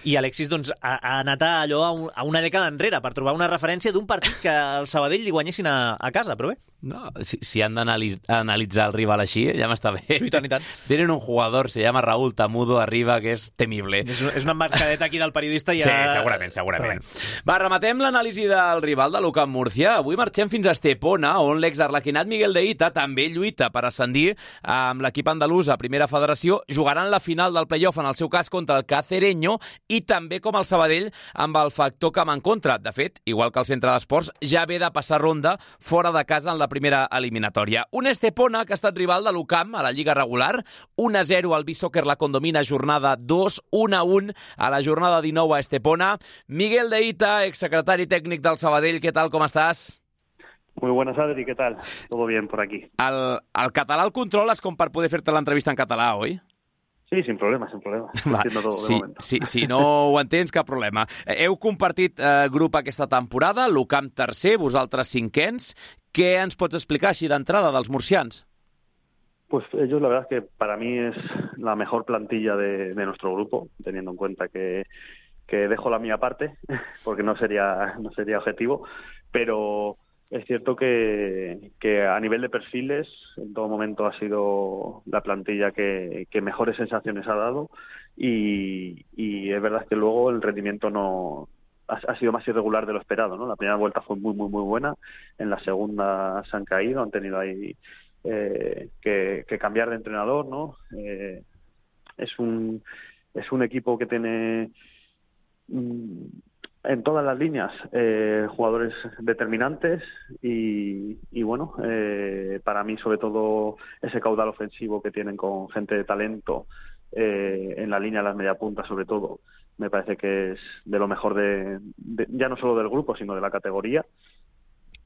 I Alexis doncs, ha, ha anat a allò a, un, a una dècada enrere per trobar una referència d'un partit que el Sabadell li guanyessin a, a casa, però bé. No, si, si han d'analitzar el rival així, ja m'està bé. Sí, i tant, i tant. Tenen un jugador, se llama Raúl Tamudo, arriba, que és temible. És, és una embarcadeta aquí del periodista. Ja... Sí, segurament, segurament. Va, rematem l'anàlisi del rival de l'U C A M Múrcia. Avui marxem fins a Estepona, on l'exarlequinat Miguel de Ita també lluita per ascendir amb l'equip andalús a Primera Federació. Jugaran la final del play-off, en el seu cas, contra el Cacereño, i també, com el Sabadell, amb el factor camp en contra. De fet, igual que el centre d'esports, ja ve de passar ronda fora de casa en la primera eliminatòria. Un Estepona que ha estat rival de l'U C A M a la Lliga regular, un a zero al Bisóquer la Condomina, jornada dos, un a un a la jornada dinou a Estepona. Miguel de Ita, exsecretari tècnic del Sabadell, què tal, com estàs? Muy buenas, Adri, ¿qué tal? Todo bien por aquí. El, el català el controles com per poder fer-te l'entrevista en català, oi? Sí, sin problema, sin problema. Va, todo sí, de momento. sí, si no ho entens, cap problema. Heu compartit eh, grup aquesta temporada, l'U C A M tercer, vosaltres cinquens. Què ens pots explicar així d'entrada dels murcians? Pues ellos, la verdad es que para mí es la mejor plantilla de, de nuestro grupo, teniendo en cuenta que, que dejo la mía aparte, porque no sería, no sería objetivo, pero es cierto que, que a nivel de perfiles en todo momento ha sido la plantilla que, que mejores sensaciones ha dado y, y es verdad que luego el rendimiento no ha, ha sido más irregular de lo esperado, ¿no? La primera vuelta fue muy, muy, muy buena, en la segunda se han caído, han tenido ahí eh, que, que cambiar de entrenador, ¿no? Eh, es un es un equipo que tiene mmm, en todas las líneas eh, jugadores determinantes y, y bueno, eh, para mí sobre todo ese caudal ofensivo que tienen con gente de talento eh, en la línea de las mediapuntas sobre todo, me parece que es de lo mejor de, de ya no solo del grupo sino de la categoría.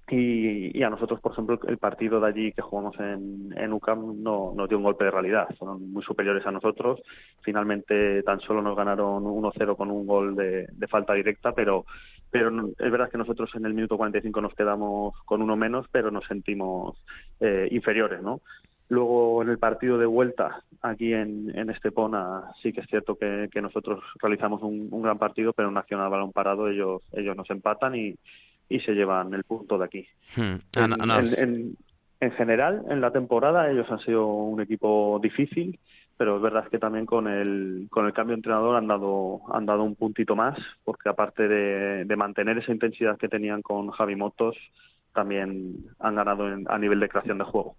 Y, y a nosotros, por ejemplo, el partido de allí que jugamos en, en U C A M no nos dio un golpe de realidad. Fueron muy superiores a nosotros. Finalmente tan solo nos ganaron uno cero con un gol de, de falta directa, pero pero es verdad que nosotros en el minuto cuarenta y cinco nos quedamos con uno menos, pero nos sentimos eh, inferiores, ¿no? Luego en el partido de vuelta aquí en, en Estepona sí que es cierto que, que nosotros realizamos un, un gran partido, pero en acción al balón parado ellos ellos nos empatan y y se llevan el punto de aquí. Hmm. En, en, en, en general, en la temporada ellos han sido un equipo difícil, pero es verdad que también con el con el cambio de entrenador han dado han dado un puntito más, porque aparte de, de mantener esa intensidad que tenían con Javi Motos, también han ganado en, a nivel de creación de juego.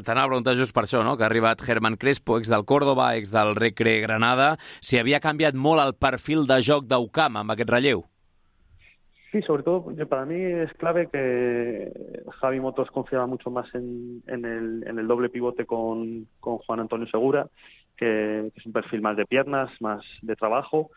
T'anava a preguntar just per això, no? Que ha arribat Germán Crespo, ex del Córdoba, ex del Recre Granada, si havia canviat molt el perfil de joc d'U C A M amb aquest relleu. Sí, sobre todo para mí es clave que Javi Motos confiaba mucho más en, en, el, en el doble pivote con, con Juan Antonio Segura, que, que es un perfil más de piernas, más de trabajo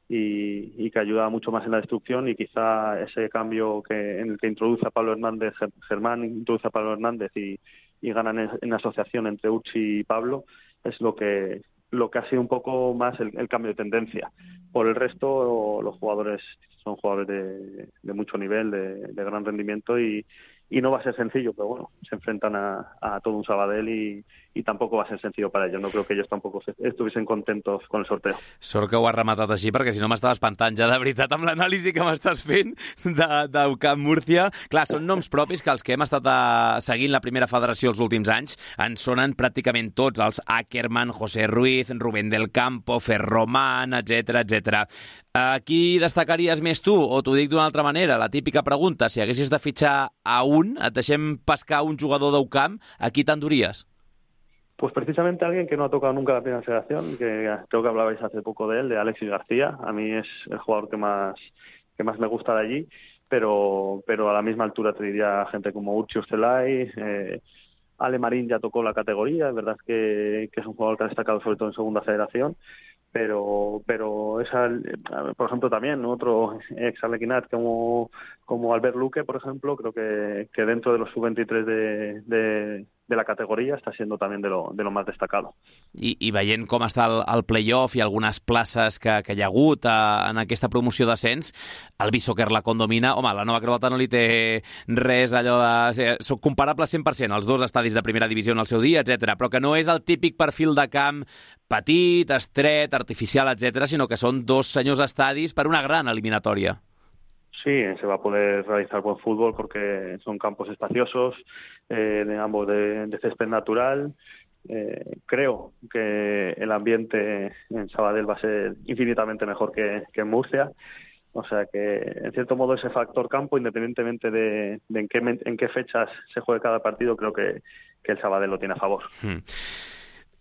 y, y que ayuda mucho más en la destrucción, y quizá ese cambio que en el que introduce a Pablo Hernández, Germán introduce a Pablo Hernández y, y ganan en, en asociación entre Uchi y Pablo, es lo que lo que ha sido un poco más el, el cambio de tendencia. Por el resto, los jugadores son jugadores de, de mucho nivel, de, de gran rendimiento y, y no va a ser sencillo, pero bueno, se enfrentan a, a todo un Sabadell y, y tampoco va a ser sencillo para ellos. No creo que ellos tampoco estuviesen contentos con el sorteo. Sort que ho has rematat així, perquè si no m'estava espantant ja de veritat amb l'anàlisi que m'estàs fent de, de U C A M Múrcia. Clar, són noms propis que els que hem estat a, seguint la primera federació els últims anys ens sonen pràcticament tots, els Ackerman, José Ruiz, Rubén del Campo, Ferromán, etcètera, etcètera. A qui destacaries més tu? O t'ho dic d'una altra manera, la típica pregunta, si haguessis de fitxar a un, et deixem pescar un jugador d'U C A M, a qui t'enduries? Pues precisamente alguien que no ha tocado nunca la primera federación, que creo que hablabais hace poco de él, de Alexis García. A mí es el jugador que más que más me gusta de allí, pero pero a la misma altura te diría gente como Urchi Ustelay, eh, Ale Marín ya tocó la categoría, es verdad que, que es un jugador que ha destacado sobre todo en segunda federación, pero pero esa, por ejemplo también otro ex Arlequinat como como Albert Luque, por ejemplo, creo que, que dentro de los sub veintitrés de, de de la categoría está siendo también de lo, de lo más destacado. I, i veient com està el, el play-off i algunes places que, que hi ha hagut a, en aquesta promoció d'ascens, el Beachsoccer la condomina. Home, la Nova Creu Alta no li té res allò de... Són comparables cent per cent, els dos estadis de primera divisió en el seu dia, etcètera, però que no és el típic perfil de camp petit, estret, artificial, etcètera, sinó que són dos senyors estadis per una gran eliminatòria. Sí, se va a poder realizar buen fútbol porque son campos espaciosos, eh, de ambos de, de césped natural. Eh, creo que el ambiente en Sabadell va a ser infinitamente mejor que, que en Murcia. O sea que, en cierto modo, ese factor campo, independientemente de, de en, qué, en qué fechas se juegue cada partido, creo que, que el Sabadell lo tiene a favor. Mm.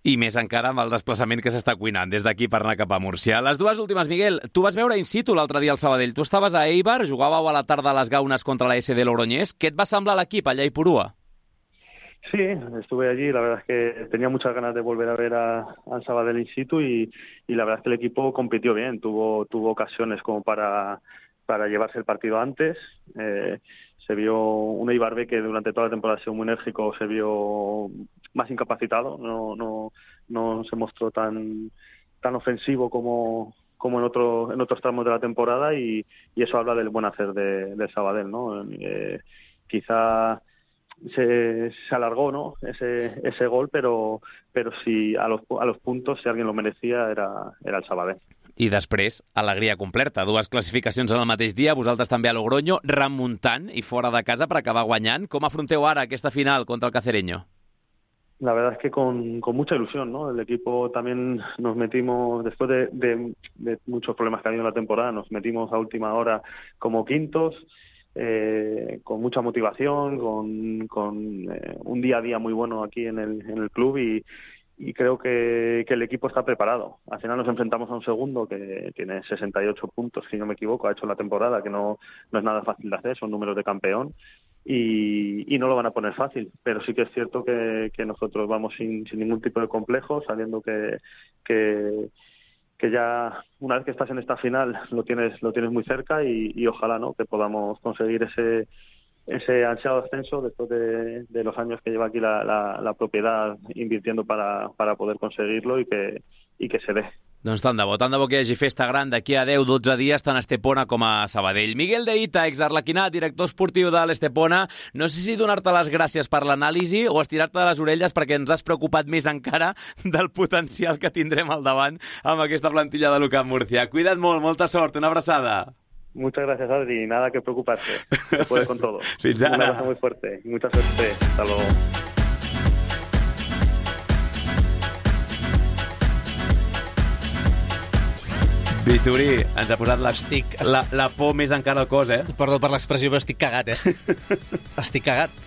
I més encara amb el desplaçament que s'està cuinant des d'aquí per anar cap a Múrcia. Les dues últimes, Miguel, tu vas veure in situ l'altre dia al Sabadell. Tu estaves a Eibar, jugàveu a la tarda a les Gaunes contra la S D Logroñés. Què et va semblar l'equip allà a Ipurúa? Sí, estuve allí. La verdad es que tenía muchas ganas de volver a ver a, a Sabadell in situ y, y la verdad es que el equipo compitió bien. Tuvo, tuvo ocasiones como para, para llevarse el partido antes. Eh, se vio un Eibar B que durante toda la temporada ha sido muy enérgico, se vio más incapacitado, no, no, no se mostró tan, tan ofensivo como, como en, otro, en otros tramos de la temporada y, y eso habla del buen hacer de, de Sabadell, ¿no? Eh, quizá se, se alargó, ¿no? ese, ese gol, pero, pero si a los, a los puntos, si alguien lo merecía, era, era el Sabadell. I després, alegria completa. Dues classificacions en el mateix dia, vosaltres també a Logroño, remuntant i fora de casa per acabar guanyant. Com afronteu ara aquesta final contra el Cacereño? La verdad es que con, con mucha ilusión, ¿no? El equipo también nos metimos, después de, de, de muchos problemas que ha habido en la temporada, nos metimos a última hora como quintos, eh, con mucha motivación, con, con eh, un día a día muy bueno aquí en el, en el club y Y creo que, que el equipo está preparado. Al final nos enfrentamos a un segundo que tiene sesenta y ocho puntos, si no me equivoco, ha hecho la temporada, que no, no es nada fácil de hacer, son números de campeón, y, y no lo van a poner fácil. Pero sí que es cierto que, que nosotros vamos sin, sin ningún tipo de complejo, sabiendo que, que, que ya una vez que estás en esta final lo tienes, lo tienes muy cerca y, y ojalá, ¿no?, que podamos conseguir ese... ese ansiado ascenso después de, de los años que lleva aquí la, la, la propiedad invirtiendo para, para poder conseguirlo y que, y que se dé. Doncs tant de bo, tant de bo que hi hagi festa gran d'aquí a deu dotze dies, tant a Estepona com a Sabadell. Miguel de Ita, exarlequinat, director esportiu de l'Estepona, no sé si donar-te les gràcies per l'anàlisi o estirar-te de les orelles perquè ens has preocupat més encara del potencial que tindrem al davant amb aquesta plantilla de l'U C A M Murcia. Cuida't molt, molta sort, una abraçada. Muchas gracias, Adri. Nada que preocuparse. Se puede con todo. Fins ara. Un abrazo muy fuerte y mucha suerte. Hasta luego. Vituri, ens ha posat la, estic, la, la por més encara al cos, eh? Perdó per l'expressió, però estic cagat, eh? Estic cagat.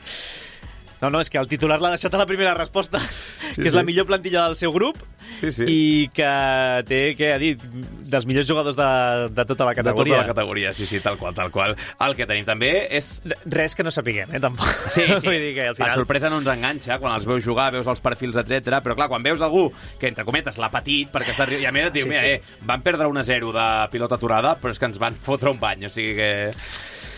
No, no, és que el titular l'ha deixat a la primera resposta, sí, que és sí. La millor plantilla del seu grup sí, sí. I que té, què ha dit, dels millors jugadors de, de tota la categoria. De tota la categoria, sí, sí, tal qual, tal qual. El que tenim també és... Res que no sapiguem, eh, tampoc. Sí, sí. Vull dir que al final... La sorpresa no ens enganxa quan els veus jugar, veus els perfils, etcètera. Però clar, quan veus algú que, entre cometes, l'ha patit, perquè està... I a més et diu, sí, mira, sí. eh, van perdre un a zero de pilota aturada, però és que ens van fotre un bany, o sigui que...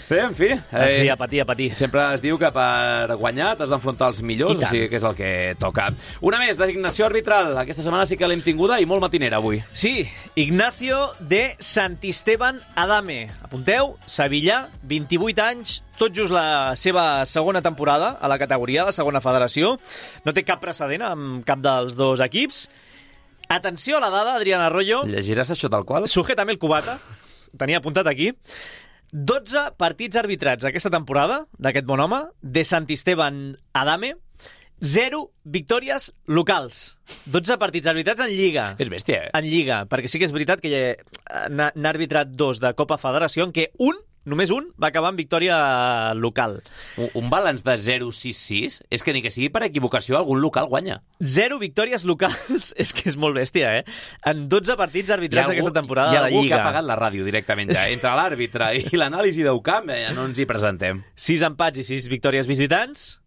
Bé, en fi... Eh, sí, a patir, a patir. Sempre es diu que per guanyar t'has d'enfrontar els millors, o sigui que és el que toca. Una més, designació arbitral. Aquesta setmana sí que l'hem tinguda i molt matinera avui. Sí, Ignacio de Santisteban Adame. Apunteu, Sevilla, vint-i-vuit anys, tot just la seva segona temporada a la categoria, la segona federació. No té cap precedent amb cap dels dos equips. Atenció a la dada, Adrián Arroyo. Llegiràs això tal qual? Sujétame el cubata. Tenia apuntat aquí. dotze partits arbitrats aquesta temporada d'aquest bon home, de Santisteban Adame, zero victòries locals. dotze partits arbitrats en Lliga. És bèstia, eh? En Lliga, perquè sí que és veritat que n'ha arbitrat dos de Copa Federació, en què un, només un, va acabar amb victòria local. Un, un balanç de zero sis sis és que ni que sigui per equivocació algun local guanya. Zero victòries locals, és que és molt bèstia, eh? En dotze partits arbitrats algú, aquesta temporada de la Lliga. Hi ha algú que ha pagat la ràdio directament ja. Entre l'àrbitre i l'anàlisi d'U C A M ja no ens hi presentem. Sis empats i sis victòries visitants.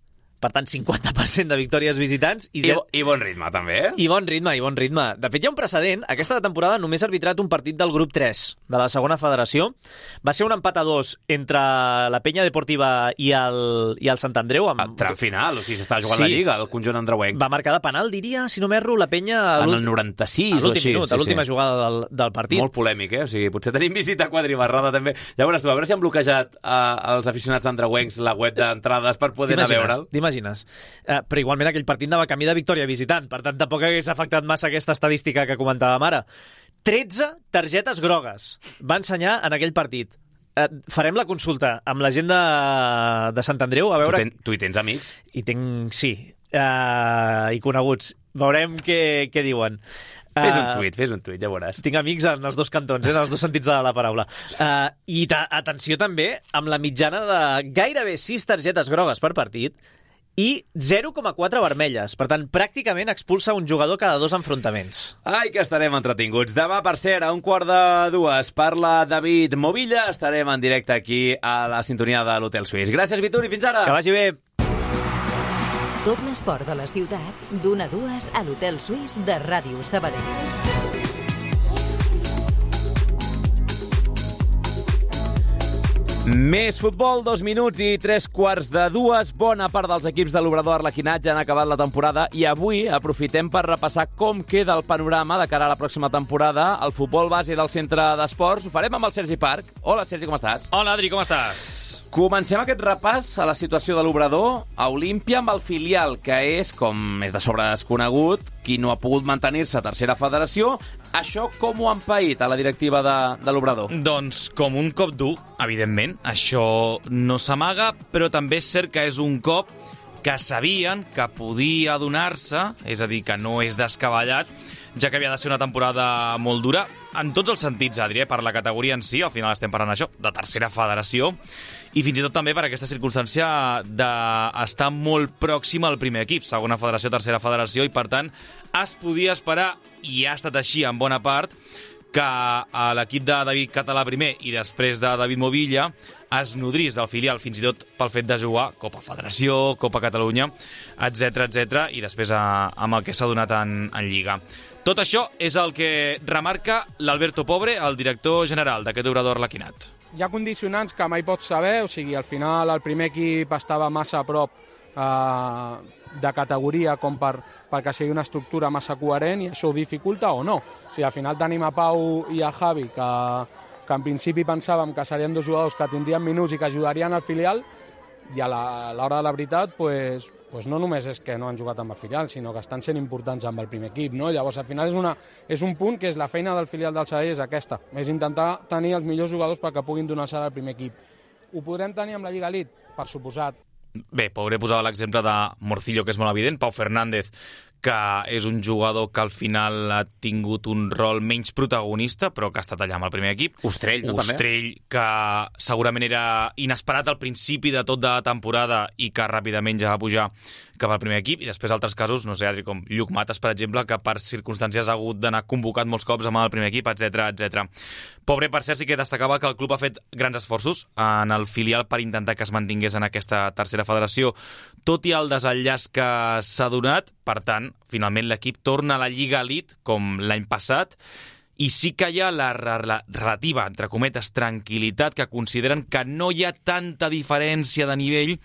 per tant, cinquanta per cent de victòries visitants. I, I, bo, I bon ritme, també, eh? I bon ritme, i bon ritme. De fet, hi ha un precedent. Aquesta temporada només ha arbitrat un partit del grup tres de la segona federació. Va ser un empat a dos entre la Penya Deportiva i el, i el Sant Andreu. Amb... A tram final, o sigui, s'estava jugant sí. la Lliga, el conjunt andreuenc. Va marcar de penal, diria, si no m'erro, la Penya... En el noranta-sis o així. Minut, sí, a l'última sí. jugada del, del partit. Molt polèmic, eh? O sigui, potser tenim visita quadribarrada, també. Ja veuràs tu, a veure si han bloquejat uh, els aficionats andreuencs la web d'entrades per poder anar a veure'l. T'imagines? Uh, però igualment aquell partit anava camí de victòria visitant, per tant tampoc hagués afectat massa aquesta estadística que comentàvem ara. tretze targetes grogues va ensenyar en aquell partit. Uh, farem la consulta amb la gent de, de Sant Andreu a veure... Tu, ten, tu hi tens amics? Hi tinc, sí, uh, i coneguts. Veurem què, què diuen. Fes un tuit, fes un tuit, ja veuràs. Tinc amics en els dos cantons, eh, en els dos sentits de la paraula. Uh, I ta, atenció també amb la mitjana de gairebé sis targetes grogues per partit i zero coma quatre vermelles. Per tant, pràcticament expulsa un jugador cada dos enfrontaments. Ai, que estarem entretinguts. Demà, per cert, a un quart de dues, parla David Movilla. Estarem en directe aquí a la sintonia de l'Hotel Suís. Gràcies, Vituri, fins ara. Que vagi bé. Tot l'esport de la ciutat, d'una a dues a l'Hotel Suís de Ràdio Sabadell. Més futbol, dos minuts i tres quarts de dues. Bona part dels equips de l'Obrador Arlequinat ja han acabat la temporada i avui aprofitem per repassar com queda el panorama de cara a la pròxima temporada. El futbol base del centre d'esports ho farem amb el Sergi Parc. Hola, Sergi, com estàs? Hola, Adri, com estàs? Comencem aquest repàs a la situació de l'Obrador a Olímpia amb el filial, que és, com és de sobre desconegut, qui no ha pogut mantenir-se a tercera federació. Això com ho han paït a la directiva de, de l'Obrador? Doncs com un cop dur, evidentment. Això no s'amaga, però també és cert que és un cop que sabien que podia donar-se, és a dir, que no és descabellat, ja que havia de ser una temporada molt dura, en tots els sentits, Adri, eh? Per la categoria en si, al final estem parlant això, de tercera federació, i fins i tot també per aquesta circumstància d'estar molt pròxim al primer equip, segona federació, tercera federació, i per tant es podia esperar, i ha estat així en bona part, que l'equip de David Català primer i després de David Movilla es nodrís del filial, fins i tot pel fet de jugar Copa Federació, Copa Catalunya, etcètera, etcètera, i després a, amb el que s'ha donat en, en Lliga. Tot això és el que remarca l'Alberto Pobre, el director general d'aquest Obrador Arlequinat. Hi ha condicionants que mai pots saber, o sigui, al final el primer equip estava massa a prop eh, de categoria com per, perquè sigui una estructura massa coherent i això ho dificulta o no. O sigui, al final tenim a Pau i a Javi, que, que en principi pensàvem que serien dos jugadors que tindrien minuts i que ajudarien al filial, i a l'hora de la veritat, pues, pues no només és que no han jugat amb el filial, sinó que estan sent importants amb el primer equip, no? Llavors, al final és, una, és un punt que és la feina del filial del Sabadell és aquesta, és intentar tenir els millors jugadors perquè puguin donar-se al primer equip. Ho podrem tenir amb la Lliga Elite? Per suposat. Bé, Pobre posava l'exemple de Morcillo, que és molt evident, Pau Fernández, que és un jugador que al final ha tingut un rol menys protagonista, però que ha estat allà amb el primer equip. Ostrell, no? Ostrell, també? Que segurament era inesperat al principi de tot de la temporada i que ràpidament ja va pujar cap al primer equip, i després altres casos, no sé, Adri, com Lluc Mates, per exemple, que per circumstàncies ha hagut d'anar convocat molts cops amb el primer equip, etcètera, etcètera. Pobre, per cert, sí que destacava que el club ha fet grans esforços en el filial per intentar que es mantingués en aquesta tercera federació, tot i el desenllaç que s'ha donat. Per tant, finalment l'equip torna a la Lliga Elite, com l'any passat, i sí que hi ha la relativa, entre cometes, tranquil·litat, que consideren que no hi ha tanta diferència de nivell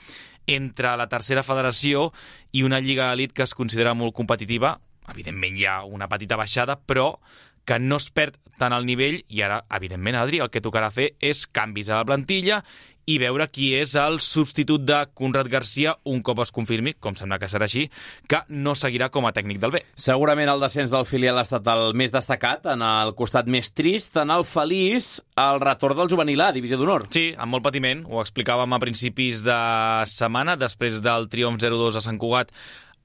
entre la tercera federació i una Lliga Elite que es considera molt competitiva. Evidentment hi ha una petita baixada, però que no es perd tant el nivell, i ara, evidentment, Adri, el que tocarà fer és canvis a la plantilla i veure qui és el substitut de Conrad Garcia un cop es confirmi, com sembla que serà així, que no seguirà com a tècnic del B. Segurament el descens del filial ha estat el més destacat, en el costat més trist, en el feliç, el retorn del juvenil A, divisió d'honor. Sí, amb molt patiment, ho explicàvem a principis de setmana, després del triomf zero dos a Sant Cugat.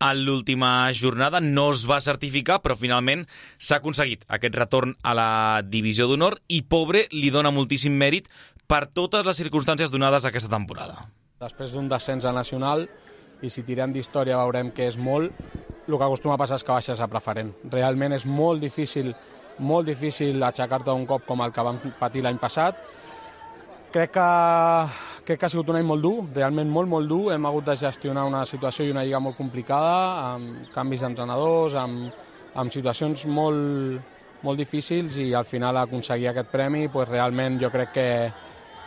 En l'última jornada no es va certificar, però finalment s'ha aconseguit aquest retorn a la divisió d'honor i Pobre li dona moltíssim mèrit per totes les circumstàncies donades aquesta temporada. Després d'un descens a nacional, i si tirem d'història veurem que és molt, el que acostuma a passar és que baixes a preferent. Realment és molt difícil, molt difícil aixecar-te un cop com el que vam patir l'any passat. Crec que, crec que ha sigut un any molt dur, realment molt, molt dur. Hem hagut de gestionar una situació i una lliga molt complicada, amb canvis d'entrenadors, amb, amb situacions molt, molt difícils, i al final aconseguir aquest premi, pues, realment jo crec que,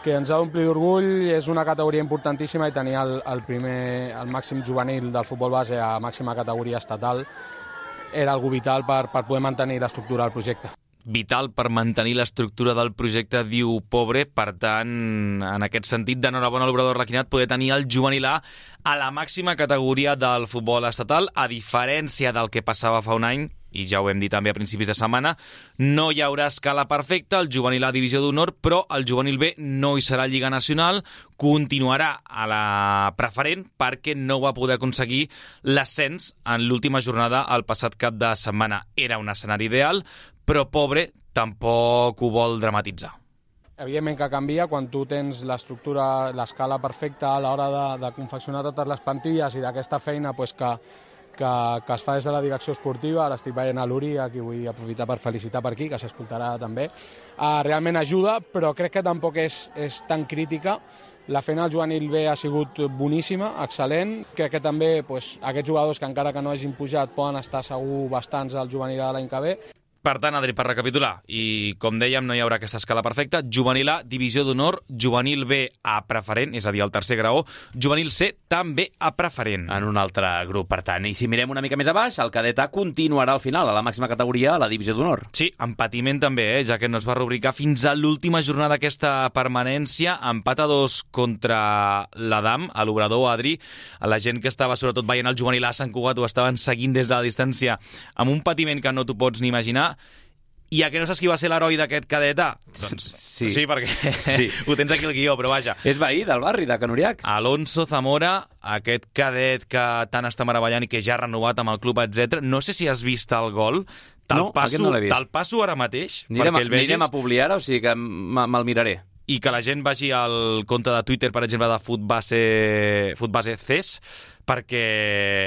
que ens ha d'omplir d'orgull. És una categoria importantíssima i tenir el, el, primer, el màxim juvenil del futbol base a màxima categoria estatal era algo vital per, per poder mantenir l'estructura del projecte. Vital per mantenir l'estructura del projecte, diu Pobre. Per tant, en aquest sentit, d'enhorabona a l'obrador Requinat poder tenir el juvenil A a la màxima categoria del futbol estatal, a diferència del que passava fa un any, i ja ho hem dit també a principis de setmana, no hi haurà escala perfecta, el juvenil A divisió d'honor, però el juvenil B no hi serà Lliga Nacional, continuarà a la preferent perquè no va poder aconseguir l'ascens en l'última jornada el passat cap de setmana. Era un escenari ideal, però Pobre tampoc ho vol dramatitzar. Evidentment que canvia quan tu tens l'estructura, l'escala perfecta a l'hora de, de confeccionar totes les plantilles i d'aquesta feina pues, que, que, que es fa des de la direcció esportiva. Ara estic veient a l'Uri, a qui vull aprofitar per felicitar per aquí, que s'escoltarà també. Uh, realment ajuda, però crec que tampoc és, és tan crítica. La feina del juvenil B ha sigut boníssima, excel·lent. Crec que també pues, aquests jugadors que encara que no hagin pujat poden estar segur bastants al juvenil A l'any que ve. Per tant, Adri, per recapitular, i com dèiem, no hi haurà aquesta escala perfecta. Juvenil A, divisió d'honor, juvenil B a preferent, és a dir, el tercer graó, juvenil C també a preferent. En un altre grup, per tant. I si mirem una mica més a baix, el cadet A continuarà al final, a la màxima categoria, a la divisió d'honor. Sí, amb patiment també, eh? Ja que no es va rubricar fins a l'última jornada d'aquesta permanència, empat a dos contra l'Adam, a l'obrador, Adri. La gent que estava sobretot veient el juvenil A a Sant Cugat ho estaven seguint des de la distància amb un patiment que no t'ho pots ni imaginar. I a que no saps qui va ser l'heroi d'aquest cadet A? Doncs sí, sí perquè sí. Ho tens aquí al guió, però vaja. És veí del barri de Canuriac. Alonso Zamora, aquest cadet que tant està meravellant i que ja ha renovat amb el club, etcètera. No sé si has vist el gol. Te'l no, passo, no l'he vist. Te'l passo ara mateix. Anirem, perquè el vegis. Anirem a publicar, o sigui que me'l miraré. I que la gent vagi al compte de Twitter, per exemple, de Futbase, Futbase C E S, perquè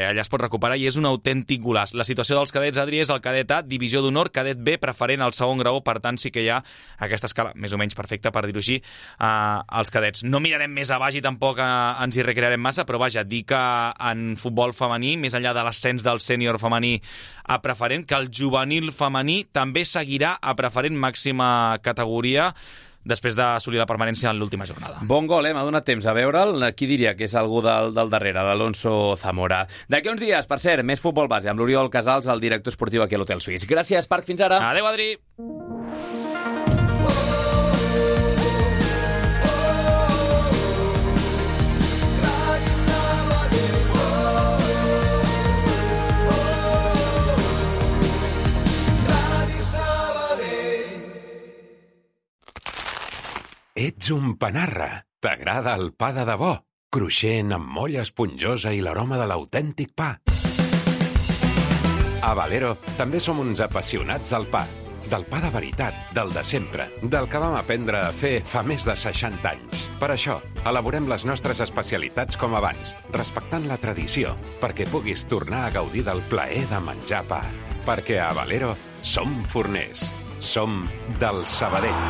allà es pot recuperar i és un autèntic golaç. La situació dels cadets, Adri, és el cadet A, divisió d'honor, cadet B, preferent al segon graó, per tant sí que hi ha aquesta escala més o menys perfecta, per dir-ho així, eh, als cadets. No mirarem més a baix i tampoc eh, ens hi recrearem massa, però vaja, dir que en futbol femení, més enllà de l'ascens del sènior femení a preferent, que el juvenil femení també seguirà a preferent màxima categoria, després d'assolir la permanència en l'última jornada. Bon gol, eh? M'ha donat temps a veure'l. Qui diria que és algú del, del darrere, l'Alonso Zamora. D'aquí uns dies, per cert, més futbol base, amb l'Oriol Casals, el director esportiu aquí a l'Hotel Suís. Gràcies, Parc, fins ara. Adéu, Adri. Ets un panarra. T'agrada el pa de debò? Cruixent, amb molla esponjosa i l'aroma de l'autèntic pa. A Valero també som uns apassionats del pa. Del pa de veritat, del de sempre, del que vam aprendre a fer fa més de seixanta anys. Per això, elaborem les nostres especialitats com abans, respectant la tradició, perquè puguis tornar a gaudir del plaer de menjar pa. Perquè a Valero som forners. Som del Sabadell.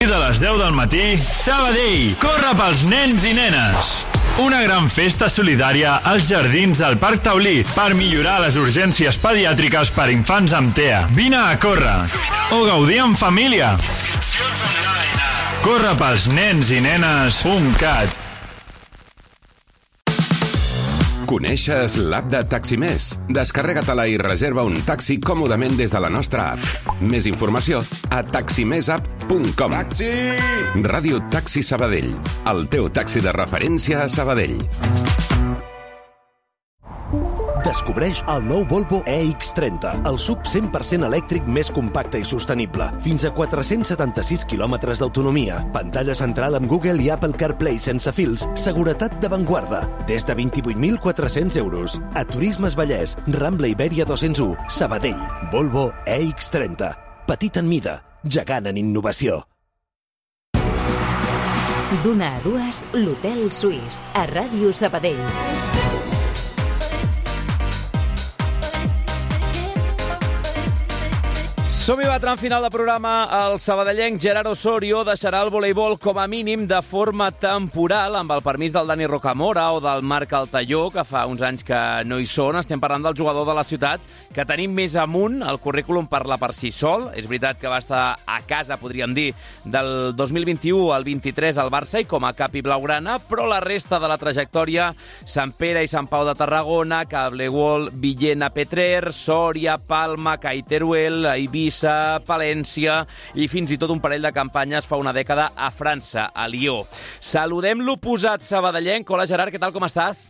De les deu del matí, Sabadell, corre pels nens i nenes. Una gran festa solidària als jardins del Parc Taulí per millorar les urgències pediàtriques per infants amb T E A. Vine a córrer o gaudir en família. Corre pels nens i nenes punt cat. Coneixes l'app de Taximés? Descarrega-te-la i reserva un taxi còmodament des de la nostra app. Més informació a taximèsapp punt com. Taxi! Ràdio Taxi Sabadell, el teu taxi de referència a Sabadell. Descobreix el nou Volvo E X trenta, el sub cent per cent elèctric més compacte i sostenible. Fins a quatre-cents setanta-sis quilòmetres d'autonomia, pantalla central amb Google i Apple CarPlay sense fils, seguretat d'avantguarda, des de vint-i-vuit mil quatre-cents euros. A Turismes Vallès, Rambla Ibèria dos-cents u, Sabadell. Volvo E X trenta. Petit en mida, gegant en innovació. D'una a dues, l'Hotel Suís, a Ràdio Sabadell. Som-hi, va, tram final de programa. El sabadellenc Gerard Osorio deixarà el voleibol com a mínim de forma temporal, amb el permís del Dani Rocamora o del Marc Altaió, que fa uns anys que no hi són. Estem parlant del jugador de la ciutat, que tenim més amunt. El currículum parla per si sol. És veritat que va estar a casa, podríem dir, del dos mil vint-i-u al vint-i-tres al Barça i com a cap i blaugrana, però la resta de la trajectòria, Sant Pere i Sant Pau de Tarragona, Cableguol, Villena, Petrer, Sòria, Palma, Caiteruel, Eivissa, Palència i fins i tot un parell de campanyes fa una dècada a França, a Lió. Saludem l'oposat sabadellenc. Hola, Gerard, què tal, com estàs?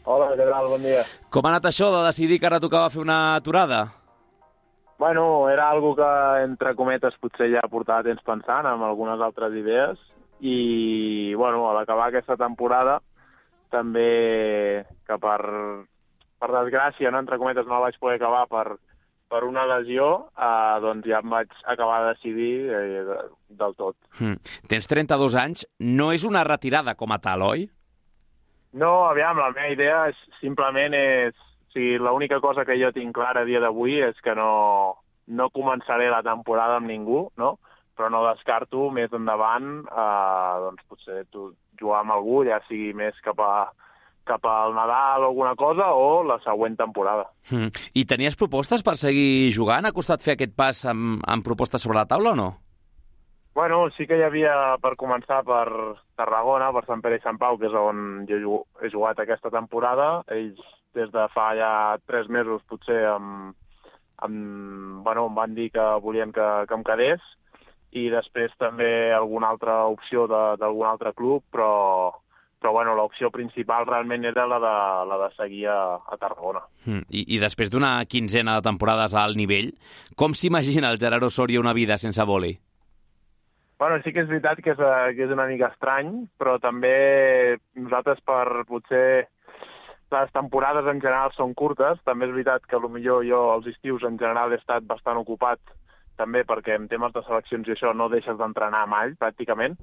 Hola, què tal, bon dia. Com ha anat això de decidir que ara tocava fer una aturada? Bueno, era algo que, entre cometes, potser ja portava temps pensant amb algunes altres idees i, bueno, a l'acabar aquesta temporada també que per, per desgràcia, no, entre cometes, no la vaig poder acabar per, per una lesió, eh, doncs ja em vaig acabar de decidir eh, del tot. Mm. Tens trenta-dos anys, no és una retirada com a tal, oi? No, aviam, la meva idea és, simplement és... O sigui, l'única cosa que jo tinc clara a dia d'avui és que no, no començaré la temporada amb ningú, no? Però no descarto més endavant eh, doncs potser tu, jugar amb algú, ja sigui més cap a cap al Nadal o alguna cosa, o la següent temporada. Mm. I tenies propostes per seguir jugant? Ha costat fer aquest pas amb, amb propostes sobre la taula o no? Bueno, sí que hi havia, per començar, per Tarragona, per Sant Pere i Sant Pau, que és on jo he jugat aquesta temporada. Ells, des de fa ja tres mesos, potser, em, em, bueno, em van dir que volien que, que em quedés, i després també alguna altra opció d'algun altre club, però, però bueno, l'opció principal realment era la de, la de seguir a, a Tarragona. Mm. I, I després d'una quinzena de temporades a alt nivell, com s'imagina el Gerard Osorio una vida sense vòlei? Bueno, sí que és veritat que és, que és una mica estrany, però també nosaltres per potser les temporades en general són curtes. També és veritat que potser jo els estius en general he estat bastant ocupat, també perquè en temes de seleccions i això no deixes d'entrenar mai, pràcticament.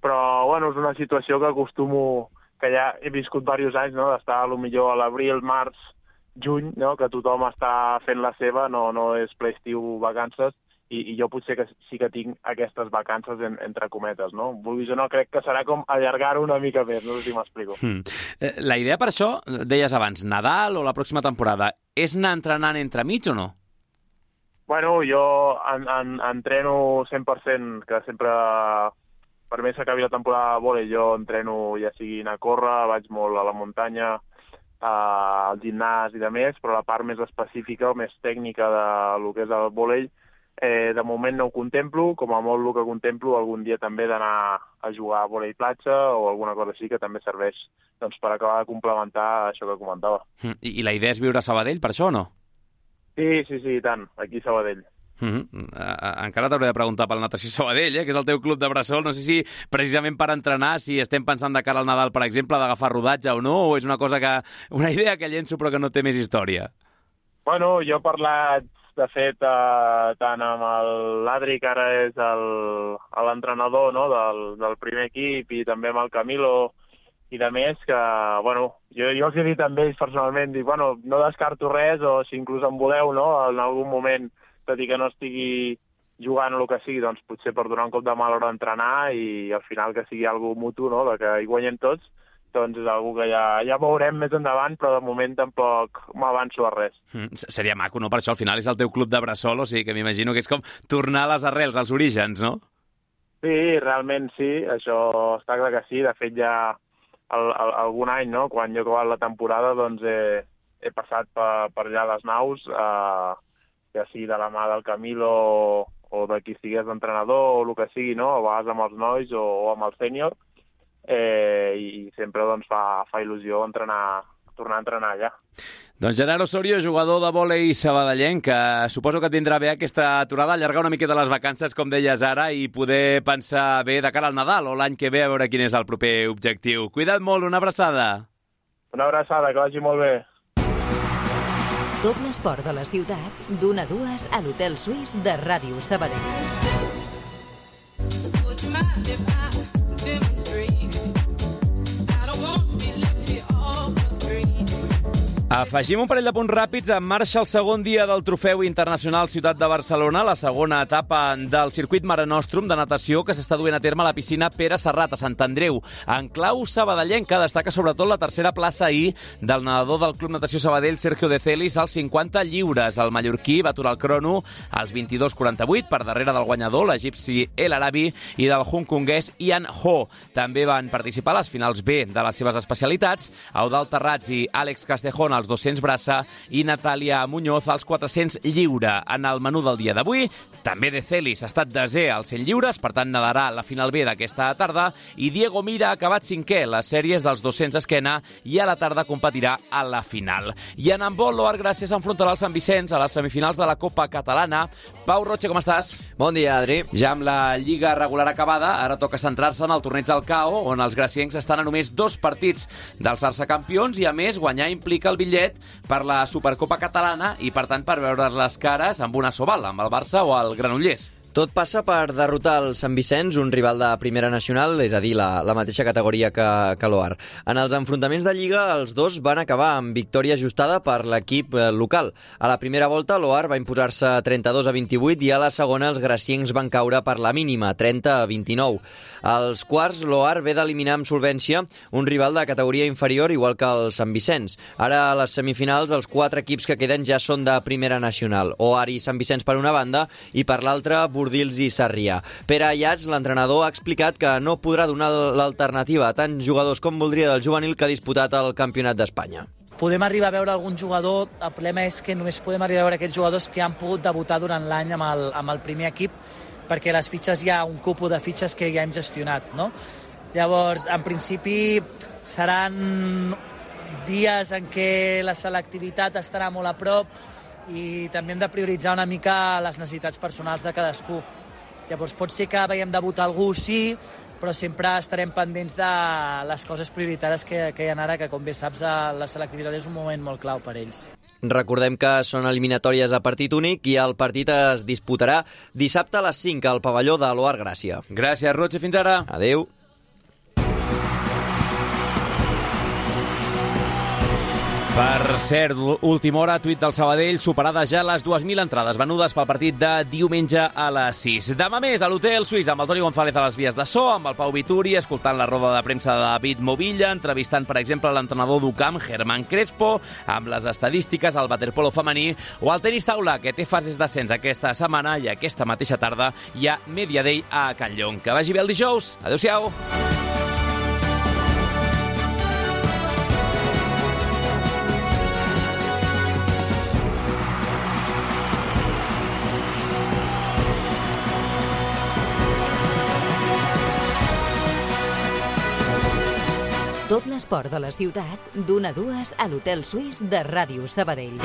Però, bueno, és una situació que acostumo, que ja he viscut diversos anys, no?, d'estar potser a l'abril, març, juny, no?, que tothom està fent la seva, no, no és ple-estiu, vacances, i, i jo potser que sí que tinc aquestes vacances en, entre cometes, no? Vulguis o no, crec que serà com allargar-ho una mica més, no sé si m'explico. Mm. La idea per això, deies abans, Nadal o la pròxima temporada, és anar entrenant entremig o no? Bueno, jo en, en, entreno cent per cent, que sempre, per més que acabi la temporada de vòlei, jo entreno ja sigui anar a córrer, vaig molt a la muntanya, al gimnàs i de més, però la part més específica o més tècnica del que és el vòlei, Eh, de moment no ho contemplo, com a molt el que contemplo algun dia també d'anar a jugar a vòlei platja o alguna cosa així que també serveix doncs, per acabar de complementar això que comentava. I, I la idea és viure a Sabadell per això o no? Sí, sí, sí, i tant, aquí a Sabadell. Mm-hmm. Encara t'hauré de preguntar pel Natació Sabadell, eh, que és el teu club de bressol. No sé si precisament per entrenar, si estem pensant de cara al Nadal, per exemple, d'agafar rodatge o no, o és una cosa que una idea que llenço però que no té més història. Bueno, jo he parlat de fet, eh, tant amb l'Adri, que ara és l'entrenador, no?, del, del primer equip, i també amb el Camilo i de més, que, bueno, jo, jo els he dit amb ells personalment, dic, bueno, no descarto res, o si inclús em voleu, no?, en algun moment, tot i que no estigui jugant o el que sigui, doncs potser per donar un cop de mà a l'hora d'entrenar i al final que sigui algo mutu, no?, de que hi guanyem tots, doncs és algo que ja, ja veurem més endavant, però de moment tampoc m'avanço a res. Mm, seria maco, no? Per això al final és el teu club de bressol, o sigui que m'imagino que és com tornar a les arrels, als orígens, no? Sí, realment sí, això està clar que sí. De fet, ja el, el, algun any, no?, quan jo he acabat la temporada, doncs he, he passat per, per allà les naus, eh, ja sigui de la mà del Camilo o, o de qui estigués d'entrenador o el que sigui, no?, a vegades amb els nois o, o amb el sènior, Eh, i sempre doncs, fa, fa il·lusió entrenar, tornar a entrenar allà. Doncs Gerard Osorio, jugador de vòlei sabadellenc, que suposo que et vindrà bé aquesta aturada, allargar una miqueta les vacances, com deies ara, i poder pensar bé de cara al Nadal o l'any que ve a veure quin és el proper objectiu. Cuida't molt, una abraçada. Una abraçada, que vagi molt bé. Tot l'esport de la ciutat, d'una a dues a l'Hotel Suís de Ràdio Sabadell. Afegim un parell de punts ràpids. En marxa el segon dia del Trofeu Internacional Ciutat de Barcelona, la segona etapa del circuit Mare Nostrum de natació que s'està duent a terme a la piscina Pere Serrat, a Sant Andreu. En clau sabadellenca destaca sobretot la tercera plaça ahir del nedador del Club Natació Sabadell, Sergio De Celis, als cinquanta lliures. El mallorquí va aturar el crono als vint-i-dos quaranta-vuit per darrere del guanyador, l'egipci El Arabi, i del hongkonguès Ian Ho. També van participar a les finals B de les seves especialitats Eudald Terrats i Àlex Castejón als dos-cents braça i Natàlia Muñoz als quatre-cents lliure. En el menú del dia d'avui, també De Celis ha estat desè als cent lliures, per tant nedarà la final B d'aquesta tarda, i Diego Mira ha acabat cinquè les sèries dels dos-cents esquena i a la tarda competirà a la final. I en handbol, l'Oar Gràcia s'enfrontarà al Sant Vicenç a les semifinals de la Copa Catalana. Pau Roche, com estàs? Bon dia, Adri. Ja amb la Lliga regular acabada, ara toca centrar-se en el torneig del C A O, on els graciencs estan a només dos partits d'alçar-se campions i, a més, guanyar implica el bitllet per la Supercopa Catalana i, per tant, per veure les cares amb una soval, amb el Barça o el Granollers. Tot passa per derrotar el Sant Vicenç, un rival de primera nacional, és a dir, la, la mateixa categoria que, que l'Oar. En els enfrontaments de Lliga, els dos van acabar amb victòria ajustada per l'equip local. A la primera volta, l'Oar va imposar-se trenta-dos a vint-i-vuit i a la segona els graciencs van caure per la mínima, trenta a vint-i-nou. Als quarts, l'Oar ve d'eliminar amb solvència un rival de categoria inferior, igual que el Sant Vicenç. Ara, a les semifinals, els quatre equips que queden ja són de primera nacional. Oar i Sant Vicenç per una banda i per l'altra, Bordils i Sarrià. Pere Ayats, l'entrenador, ha explicat que no podrà donar l'alternativa a tants jugadors com voldria del juvenil que ha disputat el Campionat d'Espanya. Podem arribar a veure algun jugador, el problema és que només podem arribar a veure aquells jugadors que han pogut debutar durant l'any amb, el, amb el primer equip, perquè les fitxes hi ha un cúpul de fitxes que ja hem gestionat, no? Llavors, en principi, seran dies en què la selectivitat estarà molt a prop i també hem de prioritzar una mica les necessitats personals de cadascú. Llavors pot ser que veiem debutar algú, sí, però sempre estarem pendents de les coses prioritàries que, que hi ha ara, que com bé saps la selectivitat és un moment molt clau per ells. Recordem que són eliminatòries a partit únic i el partit es disputarà dissabte a les cinc al pavelló de l'Oar Gràcia. Gràcies, Roche, fins ara. Adéu. Per cert, última hora, tuit del Sabadell, superades ja les dues mil entrades venudes pel partit de diumenge a les sis. Demà més a l'Hotel Suís amb el Toni González a les vies de so, amb el Pau Vituri, escoltant la roda de premsa de David Movilla, entrevistant, per exemple, l'entrenador d'Ucamp, Germán Crespo, amb les estadístiques, el waterpolo femení, o el tenis taula, que té fases d'ascens aquesta setmana i aquesta mateixa tarda hi ha Media Day a Can Llong. Que vagi bé el dijous. Adéu-siau. Tot l'esport de la ciutat, d'una a dues a l'Hotel Suís de Ràdio Sabadell.